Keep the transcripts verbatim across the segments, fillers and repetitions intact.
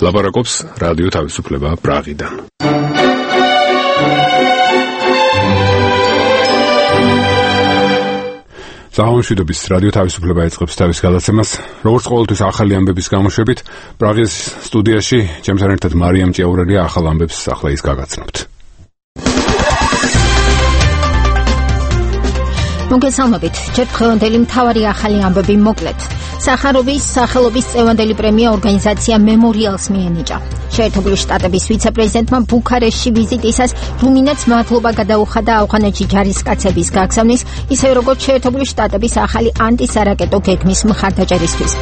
ლაპარაკობს რადიო თავისუფლება პრაღიდან. ზაჰონშვიდობის რადიო თავისუფლება ეწყებს თავის გადაცემას, როგორც ყოველთვის ახალი ამბების გამოშვებით, პრაღის სტუდიაში ჩემთან ერთად მარიამ ჭიაურელია ახალ ამბებს ახლა ის გაგაცნობთ. მოგესალმებით, ჯერ დღევანდელი მთავარი ახალი ამბები მოკლედ. სახაროვის სახელობის წევანდელი პრემია ორგანიზაცია მემორიალს მიენიჭა. შეერთებული შტატების ვიცე-პრეზიდენტმა ბუქარესტში ვიზიტისას რუმინეთს მადლობა გადაუხადა ავღანეთში ჯარისკაცების გაგზავნის, ისევე როგორც შეერთებული შტატების ახალი ანტისარაკეტო გეგმის მხარდაჭერისთვის.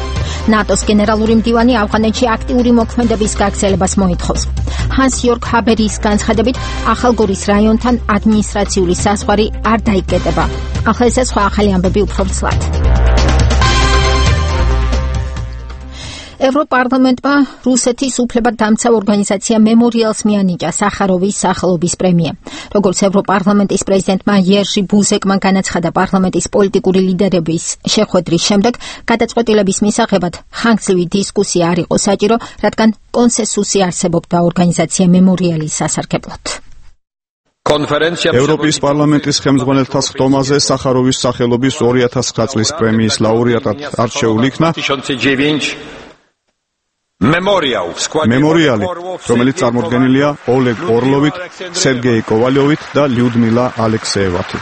ნატოს გენერალური მდივანი ავღანეთში აქტიური მოქმედების გაგრძელებას მოითხოვს. ჰანს იორგ ჰაბერის განცხადებით, ახალგორის რაიონთან ადმინისტრაციული საზღვარი არ დაიკეტება. ახლა ეს სხვა ახალი ამბები უფრო ცლად. ევროპარლამენტმა რუსეთის უფლებადამცავ ორგანიზაცია მემორიალს მიანიჭა სახაროვის სახელობის პრემია. როგორც ევროპარლამენტის პრეზიდენტმა იერჟი ბუზეკმა განაცხადა პარლამენტის პოლიტიკური ლიდერების შეხვედრის შემდეგ, გადაწყვეტილების მისაღებად ხანგრძლივი დისკუსია არ იყო საჭირო, რადგან კონსენსუსი არსებობდა ორგანიზაცია მემორიალის სასარგებლოდ. ევროპის პარლამენტის ხელმძღვანელთა სხდომაზე სახაროვის სახელობის ორი ათას ცხრა წლის პრემიის ლაურეატად არჩეული იქნა მემორიალი, რომელიც წარმოდგენილია ოლეგ ორლოვით, სერგეი კოვალიოვით და ლიუდმილა ალექსეევათი.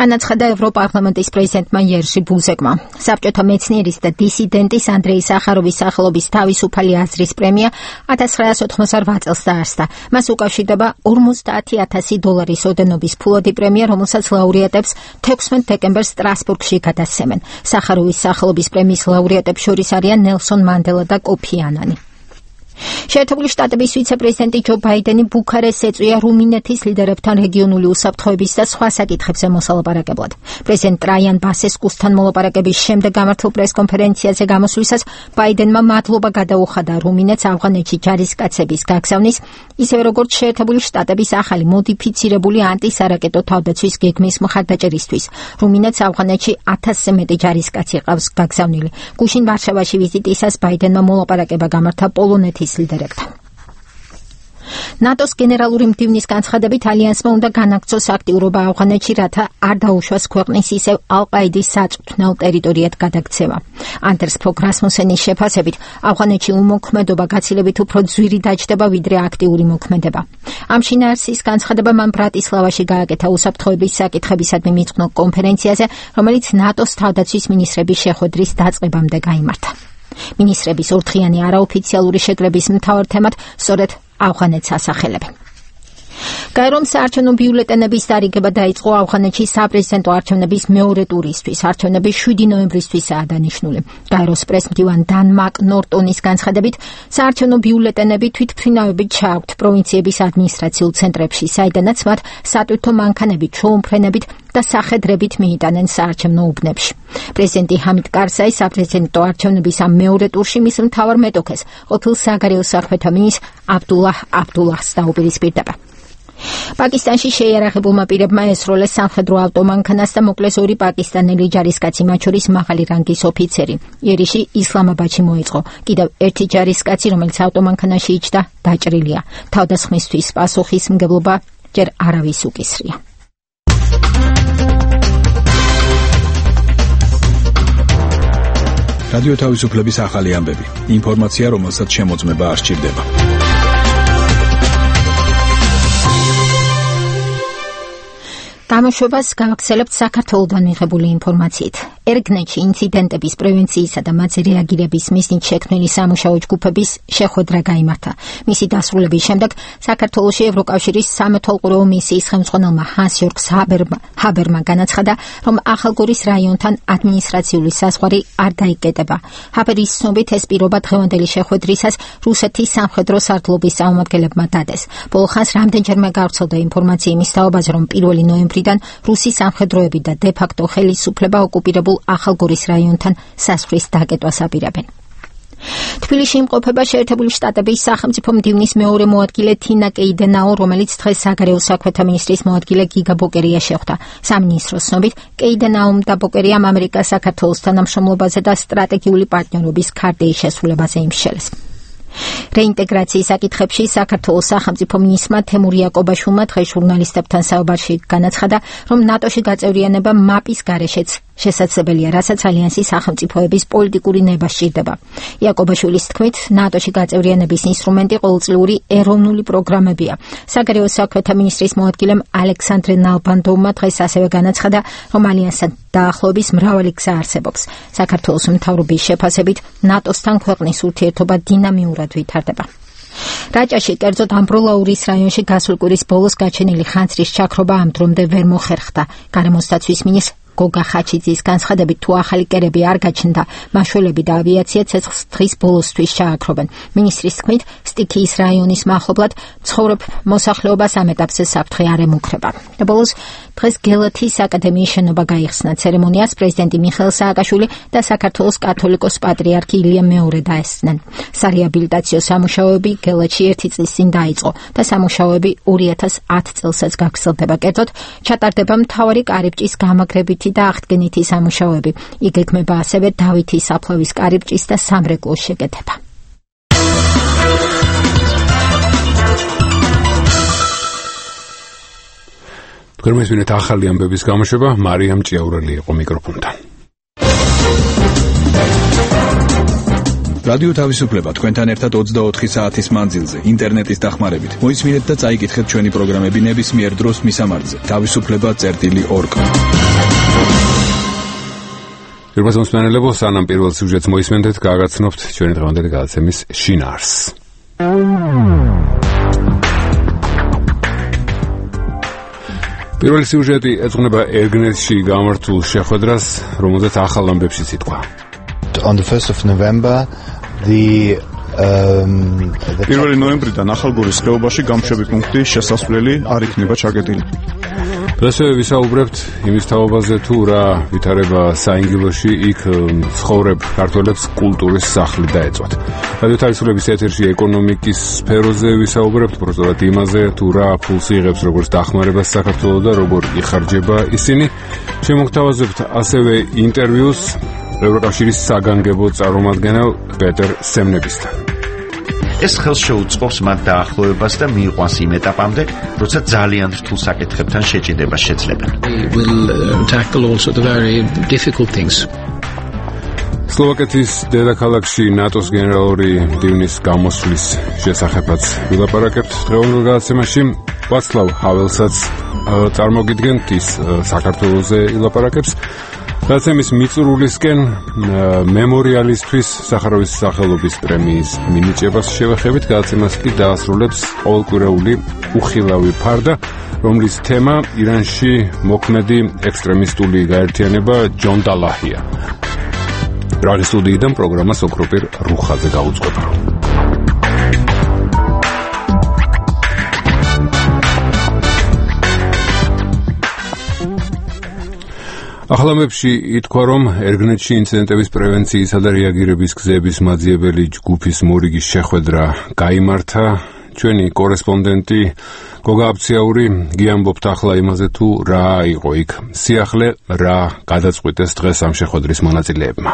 განაცხადა ევროპარლამენტის პრეზიდენტმა იერჟი ბუზეკმა. საბჭოთა მეცნიერის და დისიდენტის ანდრეი სახაროვის სახელობის თავისუფალი აზრის პრემია ათას ცხრაასი ოთხმოცდაოთხ წელს დაარსდა. მას უკავშირდება ორმოცდაათი ათასი დოლარის ოდენობის ფულადი პრემია, რომელსაც ლაურეატებს თექვსმეტ დეკემბერს სტრასბურგში გადასცემენ. სახაროვის სახელობის პრემიის ლაურეატებს შორის არიან ნელსონ მანდელა და კოფი ანანი. შეერთებული შტატების ვიცე-პრეზიდენტი ჯო ბაიდენი ბუქარესტს ეწვია რუმინეთის ლიდერებთან რეგიონული უსაფრთხოების და სხვა საკითხებზე მოსალაპარაკებლად. პრეზიდენტ ტრაიან ბასესკუსთან მოლაპარაკების შემდეგ გამართულ პრესკონფერენციაზე გამოსვლისას ბაიდენმა მადლობა გადაუხადა რუმინეთს ავღანეთში ჯარისკაცების გაგზავნის, ისევე როგორც შეერთებული შტატების ახალი მოდიფიცირებული ანტისარაკეტო თავდაცვის გეგმის მხარდაჭერისთვის. რუმინეთს ავღანეთში ათასზე მეტი ჯარისკაცი ყავს გაგზავნილი. გუშინ ვარშავაში ვიზიტისას ბაიდენმა მოლაპარაკება გამართა პოლონეთის ლიდერებთან. ნატოს გენერალური მდივნის განცხადებით, ალიანსმა უნდა განაგრძოს აქტიურობა ავღანეთში, რათა არ დაუშვას ქვეყნის ისევ ალ-ყაიდის საწვრთნელ ტერიტორიად გადაქცევა. ანდერს ფოგ რასმუსენის შეფასებით, ავღანეთში უმოქმედობა გაცილებით უფრო ძვირი დაჯდება, ვიდრე აქტიური მოქმედება. ამ შინაარსის განცხადება მან ბრატისლავაში გააკეთა უსაფრთხოების საკითხებისადმი მიძღვნილ კონფერენციაზე, რომელიც ნატოს თავდაცვის მინისტრების შეხვედრის დაწყებამდე გაიმართა. მინისტრების ორდღიანი არაოფიციალური შეკრების მთავარ თემად სწორედ ავღანეთს ასახელებენ. გაერომ საარჩევნო ბიულეტენების დარიგება დაიწყო ავღანეთში საპრეზიდენტო არჩევნების მეორე ტურისთვის. არჩევნები შვიდი ნოემბრისთვისაა დანიშნული. გაეროს პრესმდივან დან მაკ-ნორტონის განცხადებით, საარჩევნო ბიულეტენები თვითმფრინავებით ჩააქვთ პროვინციების ადმინისტრაციულ ცენტრებში, საიდანაც მათ სატვირთო მანქანებით, ჩოუმფრენებით და სახედრებით მიიტანენ საარჩევნო უბნებში. პრეზიდენტი ჰამიდ კარზაი საპრეზიდენტო არჩევნების ამ მეორე ტურში მის მთავარ მეტოქეს, ყოფილ საგარეო საქმეთა მინისტრ აბდულაჰ აბდულაჰს დაუპირისპირდება. პაკისტანში შეიარაღებულმა პირებმა ესროლეს სამხედრო ავტომანქანას და მოკლეს ორი პაკისტანელი ჯარისკაცი, მათ შორის მაღალი რანგის ოფიცერი. იერიში ისლამაბადში მოეწყო. კიდევ ერთი ჯარისკაცი, რომელიც ავტომანქანაში იჯდა, დაჭრილია. თავდასხმისთვის პასუხისმგებლობა ჯერ არავის უკისრია. რადიო თავისუფლების ახალი ამბები. ინფორმაცია, რომელსაც შემოწმება არ სჭირდება. გამოშვებას გავაგრძელებთ საქართველოდან მიღებული ინფორმაციით. ერგნეთში ინციდენტების პრევენციისა და მათზე რეაგირების მიზნით შექმნილი სამუშაო ჯგუფების შეხვედრა გაიმართა. მისი დასრულების შემდეგ საქართველოში ევროკავშირის სამეთვალყურეო მისიის ხელმძღვანელმა ჰანს იორგ ჰაბერმა განაცხადა, რომ ახალგორის რაიონთან ადმინისტრაციული საზღვარი არ დაიკეტება. ჰაბერის ცნობით ეს პირობა დღევანდელი შეხვედრისას რუსეთის სამხედრო სარდლობის წარმომადგენლებმა დადეს. ბოლო ხანს რამდენჯერმე გავრცელდა ინფორმაცია იმის თაობაზე, რომ პირველი ნოემბრიდან რუსი სამხედროები და დე-ფაქტო ხელისუფლება ოკუპირებულ ახალგორის რაიონთან საზღვრის დაკეტვას აპირებენ. თბილისში იმყოფება შეერთებული შტატების სახელმწიფო მდივნის მეორე მოადგილე თინა კეიდენაო, რომელიც დღეს საგარეო საქმეთა მინისტრის მოადგილე გიგა ბოკერია შეხვდა. სამინისტროს ცნობით, კეიდენაომ და ბოკერიამ ამერიკას საქართველოს თანამშრომლობაზე და სტრატეგიული პარტნიორობის ქარტიის შესრულებაზე იმსჯელეს. რეინტეგრაციის საკითხებში საქართველოს სახელმწიფო მინისტრმა თემურ იაკობაშვილმა დღეს ჟურნალისტებთან საუბარში განაცხადა, რომ ნატოში გაწევრიანება მაპის გარეშეც შესაძლებელია, რასაც ალიანსის სახელმწიფოების პოლიტიკური ნება სჭირდება. იაკობაშვილის თქმით, ნატოში გაწევრიანების ინსტრუმენტი ყოველწლიური ეროვნული პროგრამებია. საგარეო საქმეთა მინისტრის მოადგილემ ალექსანდრე ნალბანდოვმა დღეს ასევე განაცხადა, რომ ალიანსთან დაახლოების მრავალი გზა არსებობს. საქართველოს მთავრობის შეფასებით, ნატოსთან ქვეყნის ურთიერთობა დინამიურად ვითარდება. რაჭაში, კერძოდ ამბროლაურის რაიონში გასულ კვირის ბოლოს გაჩენილი ხანძრის ჩაქრობა ამ დრომდე ვერ მოხერხდა. გარემოსდაცვის მინისტრ გოგა ხაჩიძის განცხადებით, თუ ახალი კერები არ გაჩნდა, მაშველები და ავიაცია ცეცხლს დღის ბოლოსთვის ჩააქრობენ. მინისტრის თქმით, სტიქიის რაიონის მახლობლად ცხოვრებ მოსახლეობას ამ ეტაპზე საფრთხე არ ემუქრება. და ბოლოს დღეს გელათის აკადემიის შენობა გაიხსნა. ცერემონიას პრეზიდენტი მიხეილ სააკაშვილი და საქართველოს კათოლიკოს პატრიარქი ილია მეორე დაესწნენ. სარეაბილიტაციო სამუშაოები გელათში ერთი წლის წინ დაიწყო და სამუშაოები ორი ათას ათი წელსაც გაგრძელდება. კერძოდ, ჩატარდება მთავარი კარიბჭის გამაგრებითი და აღდგენითი სამუშაოები. იგეგმება ასევე დავითის საფლავის კარიბჭის და სამრეკლოს შეკეთება. თქვენ მესმინეთ ახალი ამბების გამოშვება, მარიამ ჭიაურელი იყო მიკროფონთან. რადიო თავისუფლება თქვენთან ერთად ოცდაოთხი საათის მანძილზე, ინტერნეტის დახმარებით. მოისმინეთ და წაიკითხეთ ჩვენი პროგრამები ნებისმიერ დროს მისამართზე. თავისუფლება წერტილი ორგ. პირველ მოსმენელებო, სანამ პირველ სიუჟეტს მოისმენთ, გააგაცნობთ ჩვენი დღევანდელი გადაცემის შინაარსს. პირველი სიუჟეტი ეძღვნება ერგნეთში გამართულ შეხვედრას, რომელზეც ახალ ამბებში ითქვა. On the first of November, the um პირველი ნოემბრიდან ახალგორის ხეობაში გამშვები პუნქტი შესასვლელი არ იქნება ჩაკეტილი. დღესვე ვისაუბრებთ იმის თაობაზე, თუ რა ვითარება საინგილოში, იქ ცხოვრებ ქართველებს კულტურის სახლი დაეწვათ. რადიო თავისუფლების ეთერში ეკონომიკის სფეროზე ვისაუბრებთ, პროცედურად იმაზე, თუ რა ფულს იღებს როგორც დახმარებას საქართველოს და როგორ იხარჯება ისინი. შემოგთავაზებთ ასევე ინტერვიუს ევროკავშირის საგანგებო წარმომადგენელ პეტერ სემნებისთან. ეს ხელს შეუწყობს მათ დაახლოებას და მიიყვანს იმ ეტაპამდე, როცა ძალიან რთულ საკითხებთან შეჭიდება შეძლებენ. სლოვაკეთის დედაქალაქში ნატოს გენერალური მდივნის გამოსვლის შესახებაც ვილაპარაკებთ დღევანდელ გადაცემაში. ვაცლავ ჰაველსაც წარმოგიდგენთ, ის საქართველოზე ილაპარაკებს. გადაცემის მიწურულისკენ მემორიალისთვის სახაროვის სახელობის პრემიის მინიჭებას შევეხებით. გადაცემას კი დაასრულებს ყოველკვირეული უხილავი ფარდა, რომლის თემა ირანში მოქმედი ექსტრემისტული გაერთიანება ჯონ დალაჰია. პრაღის სტუდიიდან პროგრამა სოკროპირ რუხაძე გაუძღვება. ახალამებში ითქვა, რომ ერგნეთში ინციდენტების პრევენციისა და რეაგირების გზების მაძიებელი ჯგუფის მორიგის შეხვედრა გაიმართა. ჩვენი კორესპონდენტი გოგა აბციაური გიამბობთ ახლა იმაზე, თუ რა იყო იქ სიახლე, რა გადაწყვიტეს დღეს ამ შეხვედრის მონაწილეებმა.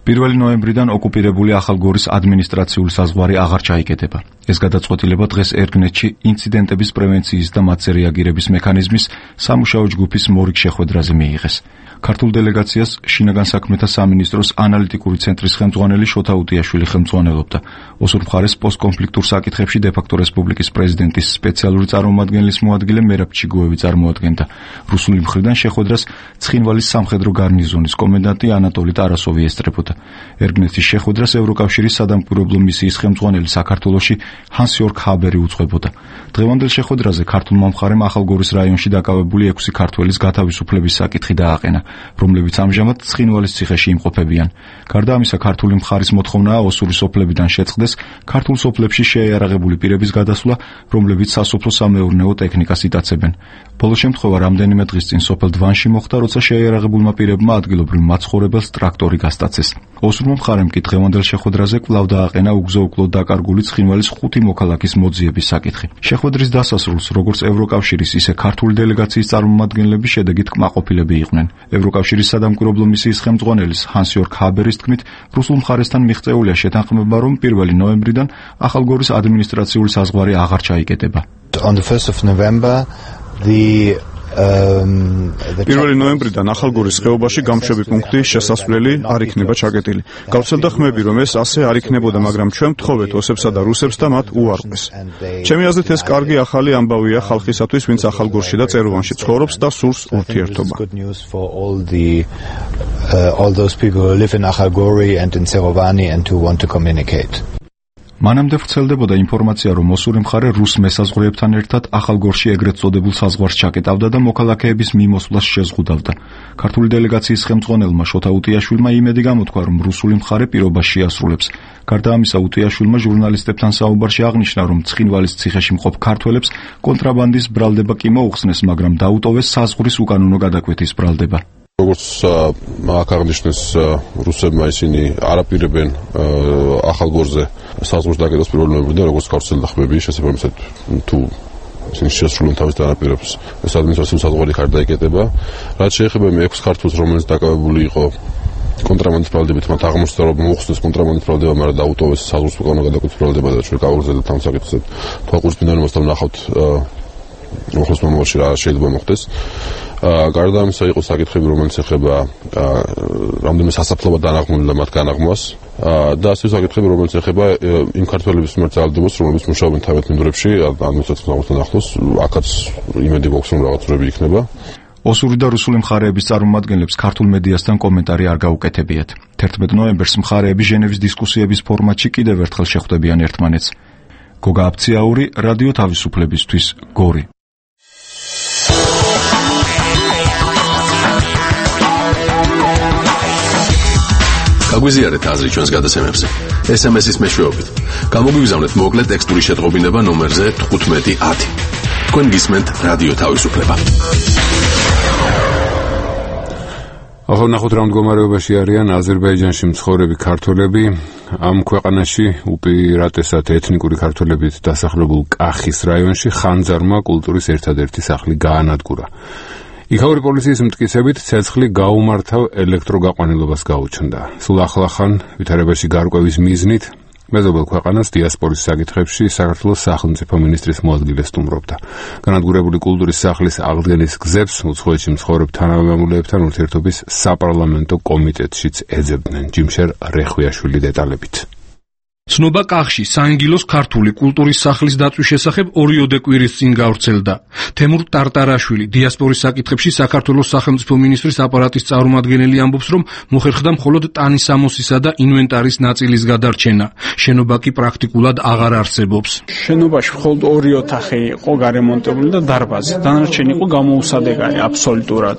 პირველი ნოემბრიდან ოკუპირებული ახალგორის ადმინისტრაციული საზღვარი აღარ ჩაიკეტება. ეს გადაწყვეტილება დღეს ერგნეთში ინციდენტების პრევენციის და მათზე რეაგირების მექანიზმის სამუშაო ჯგუფის მორიგ შეხვედრაზე მიიღეს. ქართულ დელეგაციას შინაგან საქმეთა სამინისტროს ანალიტიკური ცენტრის ხელმძღვანელი შოთა უტიაშვილი ხელმძღვანელობდა. ოსურ მხარეს პოსტკონფლიქტურ საკითხებში დე-ფაქტო რესპუბლიკის პრეზიდენტის სპეციალური წარმომადგენლის მოადგილე მერაბ ჩიგოევი წარმოადგენდა. რუსული მხრიდან შეხვედრას ცხინვალის სამხედრო გარნიზონის კომენდანტი ანატოლი ტარასოვი ესწრებოდა. ერგნეთის შეხვედრას ევროკავშირის სადამკვირვებლო მისიის ხელმძღვანელი საქართველოში ჰანს-იორგ ჰაბერი უძღვებოდა. დღევანდელ შეხვედრაზე ქართულმა მხარემ ახალგორის რაიონში დაკავებული ექვსი ქართველის გათავისუფლების საკითხი დააყენა, რომლებიც ამჟამად ცხინვალის ციხეში იმყოფებიან. გარდა ამისა, ქართული მხარის მოთხოვნაა ოსური სოფლებიდან შეწყდეს ქართულ სოფლებში შეიარაღებული პირების გადასვლა, რომლებიც სასოფლო-სამეურნეო ტექნიკას იტაცებენ. ბოლო შემთხვევა რამდენიმე დღის წინ სოფელ დვანში მოხდა, როცა შეიარაღებულმა პირებმა ადგილობრივ მაცხოვრებელს ტრაქტორი გასტაცეს. ოსურმა მხარემ კი დღევანდელ შეხვედრაზე კვლავ დააყენა უგზო-უკვლოდ დაკარგული ცხინვალის ხუთი მოქალაქის მოძიების საკითხი. შეხვედრის დასასრულს როგორც ევროკავშირის, ისე ქართული დელეგაციის წარმომადგენლები შედეგით კმაყოფილები იყვნენ. ევროკავშირის სადამკვირვებლო მისიის ხელმძღვანელის ჰანს-იორგ ჰაბერის თქმით, რუსულ მხარესთან მიღწეულია შეთანხმება, რომ პირველი ნოემბრიდან ახალგორის ადმინისტრაციული საზღვარი აღარ ჩაიკეტება. On the first of November, the პირველი ნოემბრიდან ახალგორის ხეობაში გამშვები პუნქტის შესასვლელი არ იქნება ჩაკეტილი. გავრცელდა ხმები, რომ ეს ასე არ იქნებოდა, მაგრამ ჩვენ ვთხოვეთ ოსებსა და რუსებს და მათ უარყვეს. ჩემი აზრით ეს კარგი ახალი ამბავია ხალხისათვის, ვინც ახალგორში და წეროვანში ცხოვრობს და სურს ურთიერთობა. all those people who live in Akhalgori and in Serovani and who want to communicate. მანამდე ვრცელდებოდა ინფორმაცია, რომ ოსური მხარე რუს მესაზღვრეებთან ერთად ახალგორში ეგრეთ წოდებულ საზღვარს ჩაკეტავდა და მოქალაქეების მიმოსვლას შეზღუდავდა. ქართული დელეგაციის ხელმძღვანელმა შოთა უტიაშვილმა იმედი გამოთქვა, რომ რუსული მხარე პირობას შეასრულებს. გარდა ამისა, უტიაშვილმა ჟურნალისტებთან საუბარში აღნიშნა, რომ ცხინვალის ციხეში მყოფ ქართველებს კონტრაბანდის ბრალდება კი მოუხსნეს, მაგრამ დაუტოვეს საზღვრის უკანონო გადაკვეთის ბრალდება. როგორც აქ აღნიშნეს, რუსებმა ისინი არაპირებენ ახალგორზე საზღვრის დაკეტას პირველი ნოემბრიდან, როგორც გავრცელდა ხმები, შესაბამისად თუ ისინი შეასრულებენ თავის დანაპირებს, ეს ადმინისტრაციული საზღვარი ხარ დაიკეტება. რაც შეეხება მე ექვს ქართველს, რომელიც დაკავებული იყო კონტრაბანდის ბრალდებით, მათ აღმოჩნდა, რომ მოუხსნეს კონტრაბანდის ბრალდება, მაგრამ დაუტოვეს საზღვრის უკანონო გადაკვეთის ბრალდება და ჩვენ გავაგზავნეთ ამ საკითხზე. თვალყურის მინდანებასთან ვნახავთ უახლოს მომავალში რა შეიძლება მოხდეს. გარდა ამისა იყო საკითხები, რომელიც ეხება რამდენიმე სასაფლაო დანაღმული და მათ განაღმვას და ასე საკითხები, რომელიც ეხება იმ ქართველების მიმართ ძალადობას, რომლებიც მუშაობენ თავად მინდვრებში, ადმინისტრაციულ საზღვართან ახლოს, აქაც იმედი გვაქვს, რომ რაღაცები იქნება. ოსური და რუსული მხარეების წარმომადგენლებს ქართულ მედიასთან კომენტარი არ გაუკეთებიათ. თერთმეტ ნოემბერს მხარეები ჟენევის დისკუსიების ფორმატში კიდევ ერთხელ შეხვდებიან ერთმანეთს. გოგა აფციაური, რადიო თავისუფლებისთვის, გორი. გაგვიზიარეთ აზრი ჩვენს გადაცემებზე. ეს ემ ეს-ის მეშვეობით. გამოგვიგზავნეთ მოკლე ტექსტური შეტყობინება ნომერზე თხუთმეტი ათი. თქვენ გისმენთ რადიო თავისუფლება. ახლა ნახოთ რა მდგომარეობაში არიან აზერბაიჯანში მცხოვრები ქართველები. ამ ქვეყანაში უპირატესად ეთნიკური ქართველებით დასახლებულ კახის რაიონში ხანძარმა კულტურის ერთადერთი სახლი გაანადგურა. იქაური პოლიციის მტკიცებით ცეცხლი გაუმართავ ელექტროგაყვანილობას გაუჩნდა. სულ ახლახან ვითარებაში გარკვევის მიზნით მეზობელ ქვეყანას დიასპორის საკითხებში საქართველოს სახელმწიფო მინისტრის მოადგილე სტუმრობდა. განადგურებული კულტურის სახლის აღდგენის გზებს უცხოეთში მცხოვრებ თანამემამულეებთან ურთიერთობის საპარლამენტო კომიტეტშიც ეძებდნენ. ჯიმშერ რეხვიაშვილი დეტალებით. ცნობა კახში საინგილოს ქართული კულტურის სახლის დაცვის შესახებ ორიოდე კვირის წინ გავრცელდა. თემურ ტარტარაშვილი დიასპორის საკითხებში საქართველოს სახელმწიფო მინისტრის აპარატის წარმომადგენელი ამბობს, რომ მოხერხდა მხოლოდ ტანის ამოსისა და ინვენტარის ნაწილის გადარჩენა. შენობა კი პრაქტიკულად აღარ არსებობს. შენობაში მხოლოდ ორი ოთახი იყო გარემონტებული და დარბაზი. დანარჩენი იყო გამოუსადეგარი აბსოლუტურად.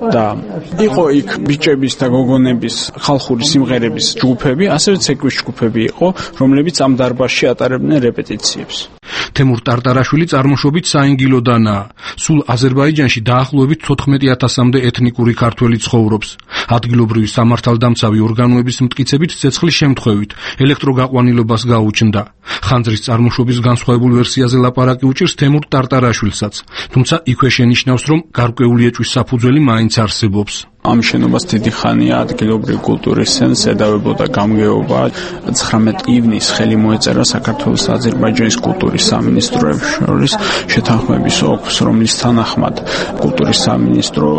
და იყო იქ ბიჭების და გოგონების ხალხური სიმღერების ჯგუფები, ასევე ცეკვის ჯგუფები იყო, რომლებიც ამ დარბაზში ატარებდნენ რეპეტიციებს. თემურ ტარტარაშვილი წარმოშობით საინგილოდანაა. სულ აზერბაიჯანში დაახლოებით თოთხმეტი ათასამდე ეთნიკური ქართველი ცხოვრობს. ადგილობრივი სამართალდამცავი ორგანოების მტკიცებით ცეცხლის შემთხვევით ელექტროგაყვანილობას გაუჩნდა. ხანძრის წარმოშობის განსხვავებულ ვერსიაზე ლაპარაკი უჭირს თემურ ტარტარაშვილსაც, თუმცა იქვე შენიშნავს, რომ გარკვეული ეჭვის საფუძველი მაინც არსებობს. ამ შენობას დიდი ხანია ადგილობრივი კულტურის ცენტრს ედავებოდა გამგეობა. ცხრამეტი ივნისს ხელი მოეწერა საქართველოს და აზერბაიჯანის კულტურის სამინისტროებს შორის შეთანხმების ოლქს, რომლის თანახმად კულტურის სამინისტრო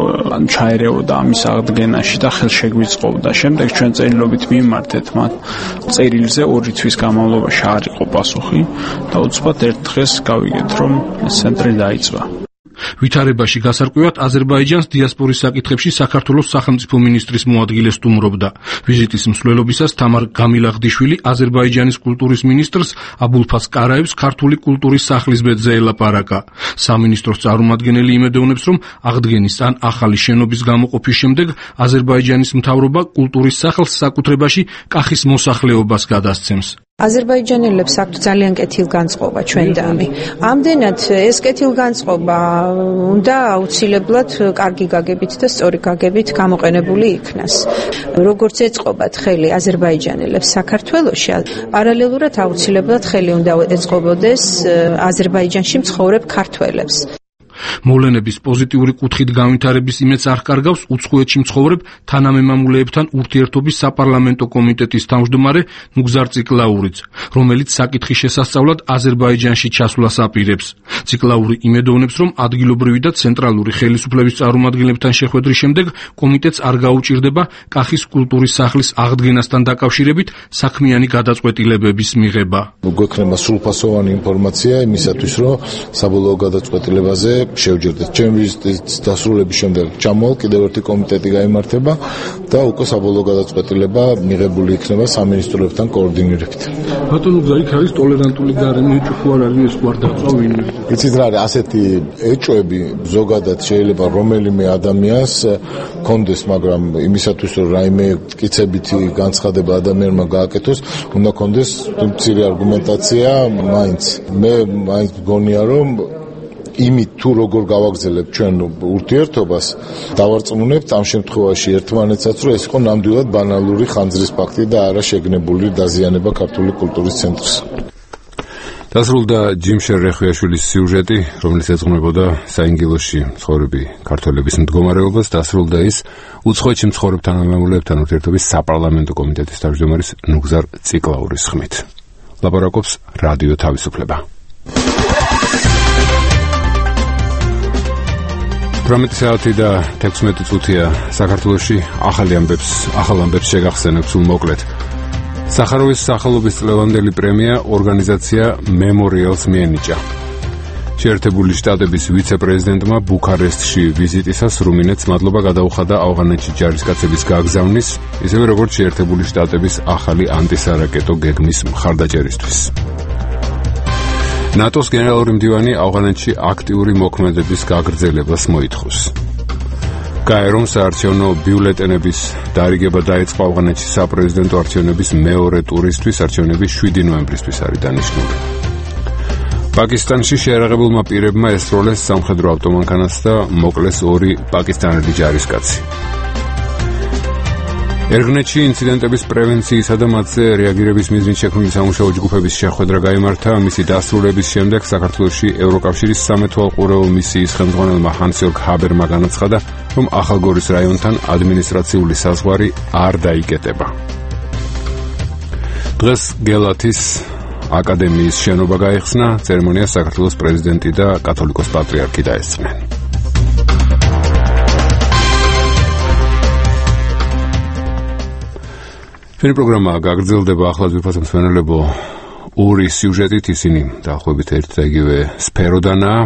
ჩაერეოდა ამის აღდგენაში და ხელშეგვიწყობდა. შემდეგ ჩვენ წერილობით მიმართეთ მათ წერილზე ორი თვის განმავლობაში არ იყო პასუხი და უცბად ერთ დღეს გავიგეთ, რომ ეს ცენტრი დაიწვა. ვითარებაში გასარკვევად აზერბაიჯანს დიასპორის საკითხებში საქართველოს სახელმწიფო მინისტრის მოადგილე სტუმრობდა. ვიზიტის მსვლელობისას თამარ გამილაღდიშვილი აზერბაიჯანის კულტურის მინისტრს აბულფას კარაევს ქართული კულტურის სახლის ბედზე ელაპარაკა. სამინისტროს წარმომადგენელი იმედოვნებს, რომ აღდგენის ან ახალი შენობის გამოყოფის შემდეგ აზერბაიჯანის მთავრობა კულტურის სახლს საკუთრებაში კახის მოსახლეობას გადასცემს. აზერბაიჯანელებს აქვთ ძალიან კეთილგანწყობა ჩვენ და ამი. ამდენად ეს კეთილგანწყობა უნდა აუცილებლად კარგი გაგებით და სწორი გაგებით გამოყენებული იქნას. როგორც ეწყობათ ხელი აზერბაიჯანელებს საქართველოში, პარალელურად აუცილებლად ხელი უნდა ეწყობოდეს აზერბაიჯანში მცხოვრებ ქართველებს. მოვლენების პოზიტიური კუთხით განვითარების იმედს არ კარგავს უცხოეთში მცხოვრებ თანამემამულეებთან ურთიერთობის საპარლამენტო კომიტეტის თავმჯდომარე ნუგზარ ციკლაურიც, რომელიც საკითხის შესასწავლად აზერბაიჯანში ჩასვლას აპირებს. ციკლაური იმედოვნებს, რომ ადგილობრივი და ცენტრალური ხელისუფლების წარმომადგენლებთან შეხვედრის შემდეგ კომიტეტს არ გაუჭირდება კახის კულტურის სახლის აღდგენასთან დაკავშირებით საქმიანი გადაწყვეტილებების მიღება. გვექნება სრულფასოვანი ინფორმაცია იმისათვის, რომ საბოლოო გადაწყვეტილებაზე შევჯერდეთ. ჩემი ვიზიტის დასრულების შემდეგ ჩამოვალ, კიდევ ერთი კომიტეტი გაიმართება და უკვე საბოლოო გადაწყვეტილება მიღებული იქნება სამინისტროებთან კოორდინირებით. ბატონო, იქ არის ტოლერანტული გარემო, ეჭვი ხო არ არის, ეს ხო არ დაწვა ვინმე? იცით რა არის, ასეთი ეჭვები ზოგადად შეიძლება რომელიმე ადამიანს კონდეს, მაგრამ იმისათვის რომ რაიმე მტკიცებითი განცხადება ადამიანმა გააკეთოს, უნდა კონდეს მცირე არგუმენტაცია მაინც. მე მაინც მგონია რომ იმით თუ როგორ გავაგზავნებთ ჩვენ ურთიერთობას, დავარწმუნებთ ამ შემთხვევაში ერთმანეთსაც, რომ ეს იყო ნამდვილად ბანალური ხანძრის ფაქტი და არა შეგნებული დაზიანება ქართული კულტურის ცენტრის. დასრულდა ჯიმშერ რეხვიაშვილის სიუჟეტი, რომელიც ეძღვნებოდა საინგილოში მცხოვრები ქართველების მდგომარეობას. დასრულდა ის უცხოეთში მცხოვრებ თანამემამულეებთან ურთიერთობის საპარლამენტო კომიტეტის თავმჯდომარის ნუგზარ ციკლაურის ხმით. ლაპარაკობს რადიო თავისუფლება. ორმეტი საათი და თექვსმეტი წუთია საქართველოში. ახალი ამბებს, ახალ ამბებს შეგახსენებ სულ მოკლედ. სახაროვის სახელობის წლევანდელი პრემია ორგანიზაცია მემორიალს მიენიჭა. შეერთებული შტატების ვიცე-პრეზიდენტმა ბუქარესტში ვიზიტისას რუმინეთს მადლობა გადაუხადა ავღანეთში ჯარისკაცების გაგზავნის, ისევე როგორც შეერთებული შტატების ახალი ანტისარაკეტო გეგმის მხარდაჭერისთვის. ნატოს გენერალური მდივანი ავღანეთში აქტიური მოქმედების გაგრძელებას მოითხოვს. გაერომ საარჩევნო ბიულეტენების დარიგება დაიწყო ავღანეთში საპრეზიდენტო არჩევნების მეორე ტურისთვის, არჩევნები შვიდი ნოემბრისთვის არის დანიშნული. პაკისტანში შეერაღებულმა პირებმა ესროლეს სამხედრო ავტომანქანას და მოკლეს ორი პაკისტანელი ჯარისკაცი. ერგნეთში ინციდენტების პრევენციისა და მათზე რეაგირების მიზნით შექმნილი სამუშაო ჯგუფების შეხვედრა გაიმართა. მისი დასრულების შემდეგ საქართველოში ევროკავშირის სამეთვალყურეო მისიის ხელმძღვანელმა ჰანს-იორგ ჰაბერმა განაცხადა, რომ ახალგორის რაიონთან ადმინისტრაციული საზღვარი არ დაიკეტება. დღეს გელათის აკადემიის შენობა გაიხსნა, ცერემონიას საქართველოს პრეზიდენტი და კათოლიკოს პატრიარქი დაესწრნენ. ჩვენი პროგრამა გაგრძელდება. ახლა ვიფასებ მსმენელებო ორი სიუჟეტით, ისინი დაახლოებით ერთ და იგივე სფეროდანაა.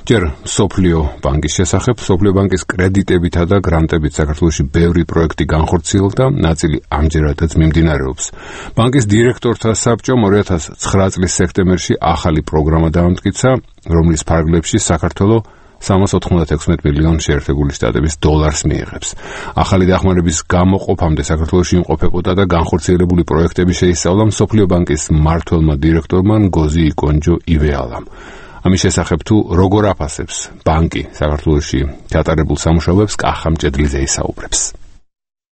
ჯერ სოფლიო ბანკის შესახებ. სოფლიო ბანკის კრედიტებითა და გრანტებით საქართველოში ბევრი პროექტი განხორციელდა, ნაწილი ამჯერადაც მიმდინარეობს. ბანკის დირექტორთა საბჭომ ორი ათას ცხრა წლის სექტემბერში ახალი პროგრამა დაამტკიცა, რომლის ფარგლებში საქართველოს სამას ოთხმოცდაექვსმეტ მილიონ შეერთებული შტატების დოლარს მიიღებს. ახალი დახმარების გამოყოფამდე საქართველოში იმყოფებოდა და განხორციელებული პროექტები შეისწავლა მსოფლიო ბანკის მმართველმა დირექტორმა ნგოზი იკონჯო ივეალამ. ამის შესახებ თუ როგორ აფასებს ბანკი საქართველოში ჩატარებულ სამუშაოებს, კახა მჭედლიძე ისაუბრებს.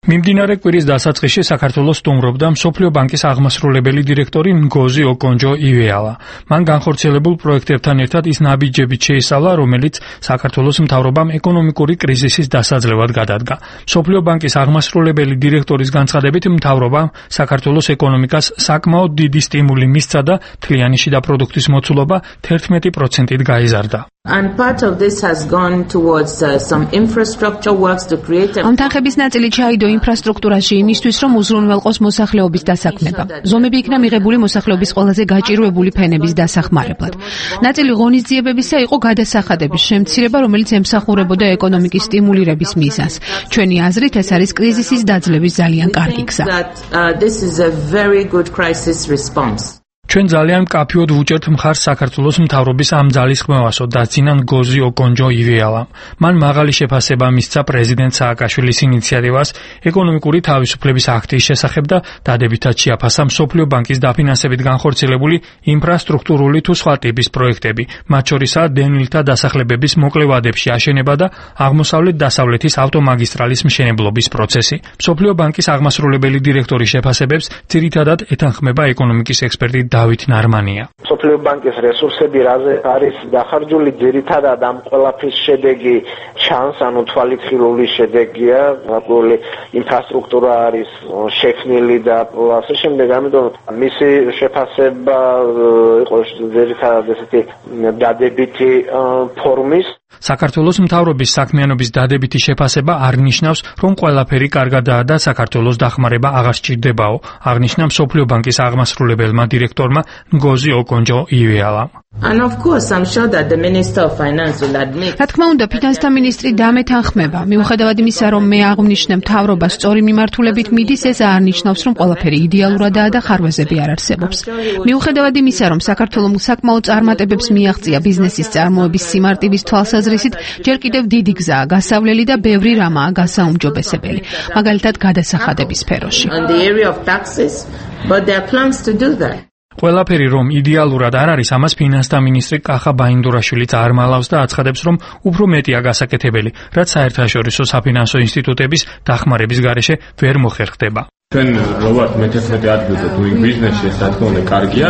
მიმდინარე კვირის დასაწყისში საქართველოს სტუმრობდა მსოფლიო ბანკის აღმასრულებელი დირექტორი ნგოზი ოკონჯო ივეალა. მან განხორციელებულ პროექტებთან ერთად ის ნაბიჯებით შეისწავლა, რომელიც საქართველოს მთავრობამ ეკონომიკური კრიზისის დასაძლევად გადადგა. მსოფლიო ბანკის აღმასრულებელი დირექტორის განცხადებით, მთავრობამ საქართველოს ეკონომიკას საკმაოდ დიდი სტიმული მისცა და მთლიანი შიდა პროდუქტის მოცულობა თერთმეტი პროცენტით გაიზარდა. And part of this has gone towards uh, some infrastructure works to create a... ამ თანხების ნაწილი ჩაიდო ინფრასტრუქტურაში იმისთვის, რომ უზრუნველყოს მოსახლეობის დასაქმება. ზომები იქნა მიღებული მოსახლეობის ყველაზე გაჭირვებული ფენების დასახმარებლად. ნაწილი ღონისძიებებისა იყო გადასახადების შემცირება, რომელიც ემსახურებოდა ეკონომიკის სტიმულირების მიზანს. ჩვენი აზრით, ეს არის კრიზისის დაძლევის ძალიან კარგი გზა. This is a very good crisis response. ჩვენ ძალიან მკაფიოდ ვუჭერთ მხარს საქართველოს მთავრობის ამ ძალისხმევასო დაძინან გოზი ოკონჯო იველამ. მან მაღალი შეფასება მისცა პრეზიდენტ სააკაშვილის ინიციატივას ეკონომიკური თავისუფლების აქტის შესახებ და დადებითად შეაფასა მსოფლიო ბანკის დაფინანსებით განხორციელებული ინფრასტრუქტურული თუ სხვა ტიპის პროექტები, მათ შორისაა დევნილთა დასახლებების მოკლე ვადებში აშენება და აღმოსავლეთ-დასავლეთის ავტომაგისტრალის მშენებლობის პროცესი. მსოფლიო ბანკის აღმასრულებელი დირექტორის შეფასებებს ძირითადად ეთანხმება ეკონომიკის ექსპერტი დავით ნარმანია. მსოფლიო ბანკის რესურსები რაზე არის დახარჯული ძირითადად ამ ყველაფრის შედეგი ჩანს, ანუ თვალითხილული შედეგია, რადგან ინფრასტრუქტურა არის შექმნილი და ასე შემდეგ, ამიტომ მისი შეფასება იყო ძირითადად ესეთი დადებითი ფორმის. საქართველოს მთავრობის საქმიანობის დადებითი შეფასება არ ნიშნავს, რომ ყველაფერი კარგადაა და საქართველოს დახმარება აღარ სჭირდებაო, აღნიშნა მსოფლიო ბანკის აღმასრულებელმა დირექტორმა ნგოზი ოკონჯო იველამ. And of course, I'm sure that the Minister of Finance will admit. რა თქმა უნდა, ფინანსთა მინისტრი დამეთანხმება. მიუხედავად იმისა, რომ მე აღვნიშნე მთავრობა სწორი მიმართულებით მიდის, ეს არ ნიშნავს, რომ ყველაფერი იდეალურადაა და ხარვეზები არ არსებობს. მიუხედავად იმისა, რომ საქართველოს საკმაო წარმატებებს მიაღწია ბიზნესის წარმოების სიმარტივის თვალსაზრისით, ჯერ კიდევ დიდი გზაა გასავლელი და ბევრი რამაა გასაუმჯობესებელი. მაგალითად, გადასახადების სფეროში. On the area of taxes, but there are plans to do that. ყველაფერი რომ იდეალურად არ არის, ამას ფინანსთა მინისტრი კახა ბაინდურაშვილიც არ მალავს და აცხადებს, რომ უფრო მეტია გასაკეთებელი, რაც საერთაშორისო საფინანსო ინსტიტუტების დახმარების გარეშე ვერ მოხერხდება. ჩვენ რო ვართ მეთერთმეტე ადგილზე doing business-ში, ეს რა თქმა უნდა კარგია,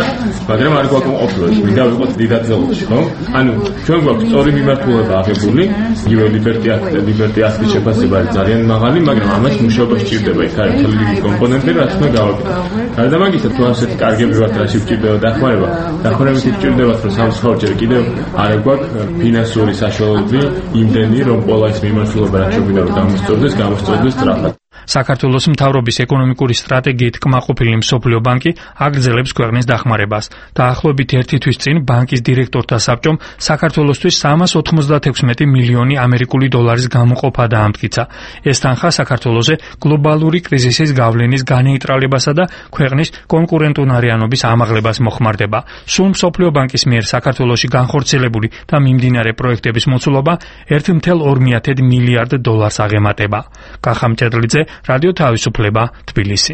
მაგრამ არ გვაკმაყოფილებს, მინდა ვიყოთ დიდად ზოლში, ხო? ანუ ჩვენ გვაქვს სწორი მიმართულება აღებული, იგივე Liberty Act, Liberty Act-ის შეფასება არის ძალიან მაღალი, მაგრამ ამას მუშაობა სჭირდება, იქ არის მთელი დიდი კომპონენტები, რაც უნდა გავაკეთოთ. გარდა ამისა, თუ ასეთი კარგები ვართ, რაში სჭირდება დახმარება, დახმარებით სჭირდებათ, რომ სამსხაურჯერ კიდევ არ გვაქვს ფინანსური საშუალებები იმდენი, რომ ყველა ეს მიმართულება რაც შეგვიძლია რომ გამოსწორდეს, გამოსწორდეს სწრაფად. საქართველოს მთავრობის ეკონომიკური სტრატეგიით კმაყოფილი მსოფლიო ბანკი აგრძელებს ქვეყნის დახმარებას. დაახლოებით ერთი თვის წინ ბანკის დირექტორთა საბჭომ საქართველოსთვის სამას ოცდაექვსი მილიონი ამერიკული დოლარის გამოყოფა დაამტკიცა. ეს თანხა საქართველოზე გლობალური კრიზისის გავლენის განეიტრალებასა და ქვეყნის კონკურენტუნარიანობის ამაღლებას მოხმარდება. სულ მსოფლიო ბანკის მიერ საქართველოში განხორციელებული და მიმდინარე პროექტების მოცულობა ერთი წუთი ორი მილიარდ დოლარს აღემატება. კახა მჭედლიძე, რადიო თავისუფლება, თბილისი.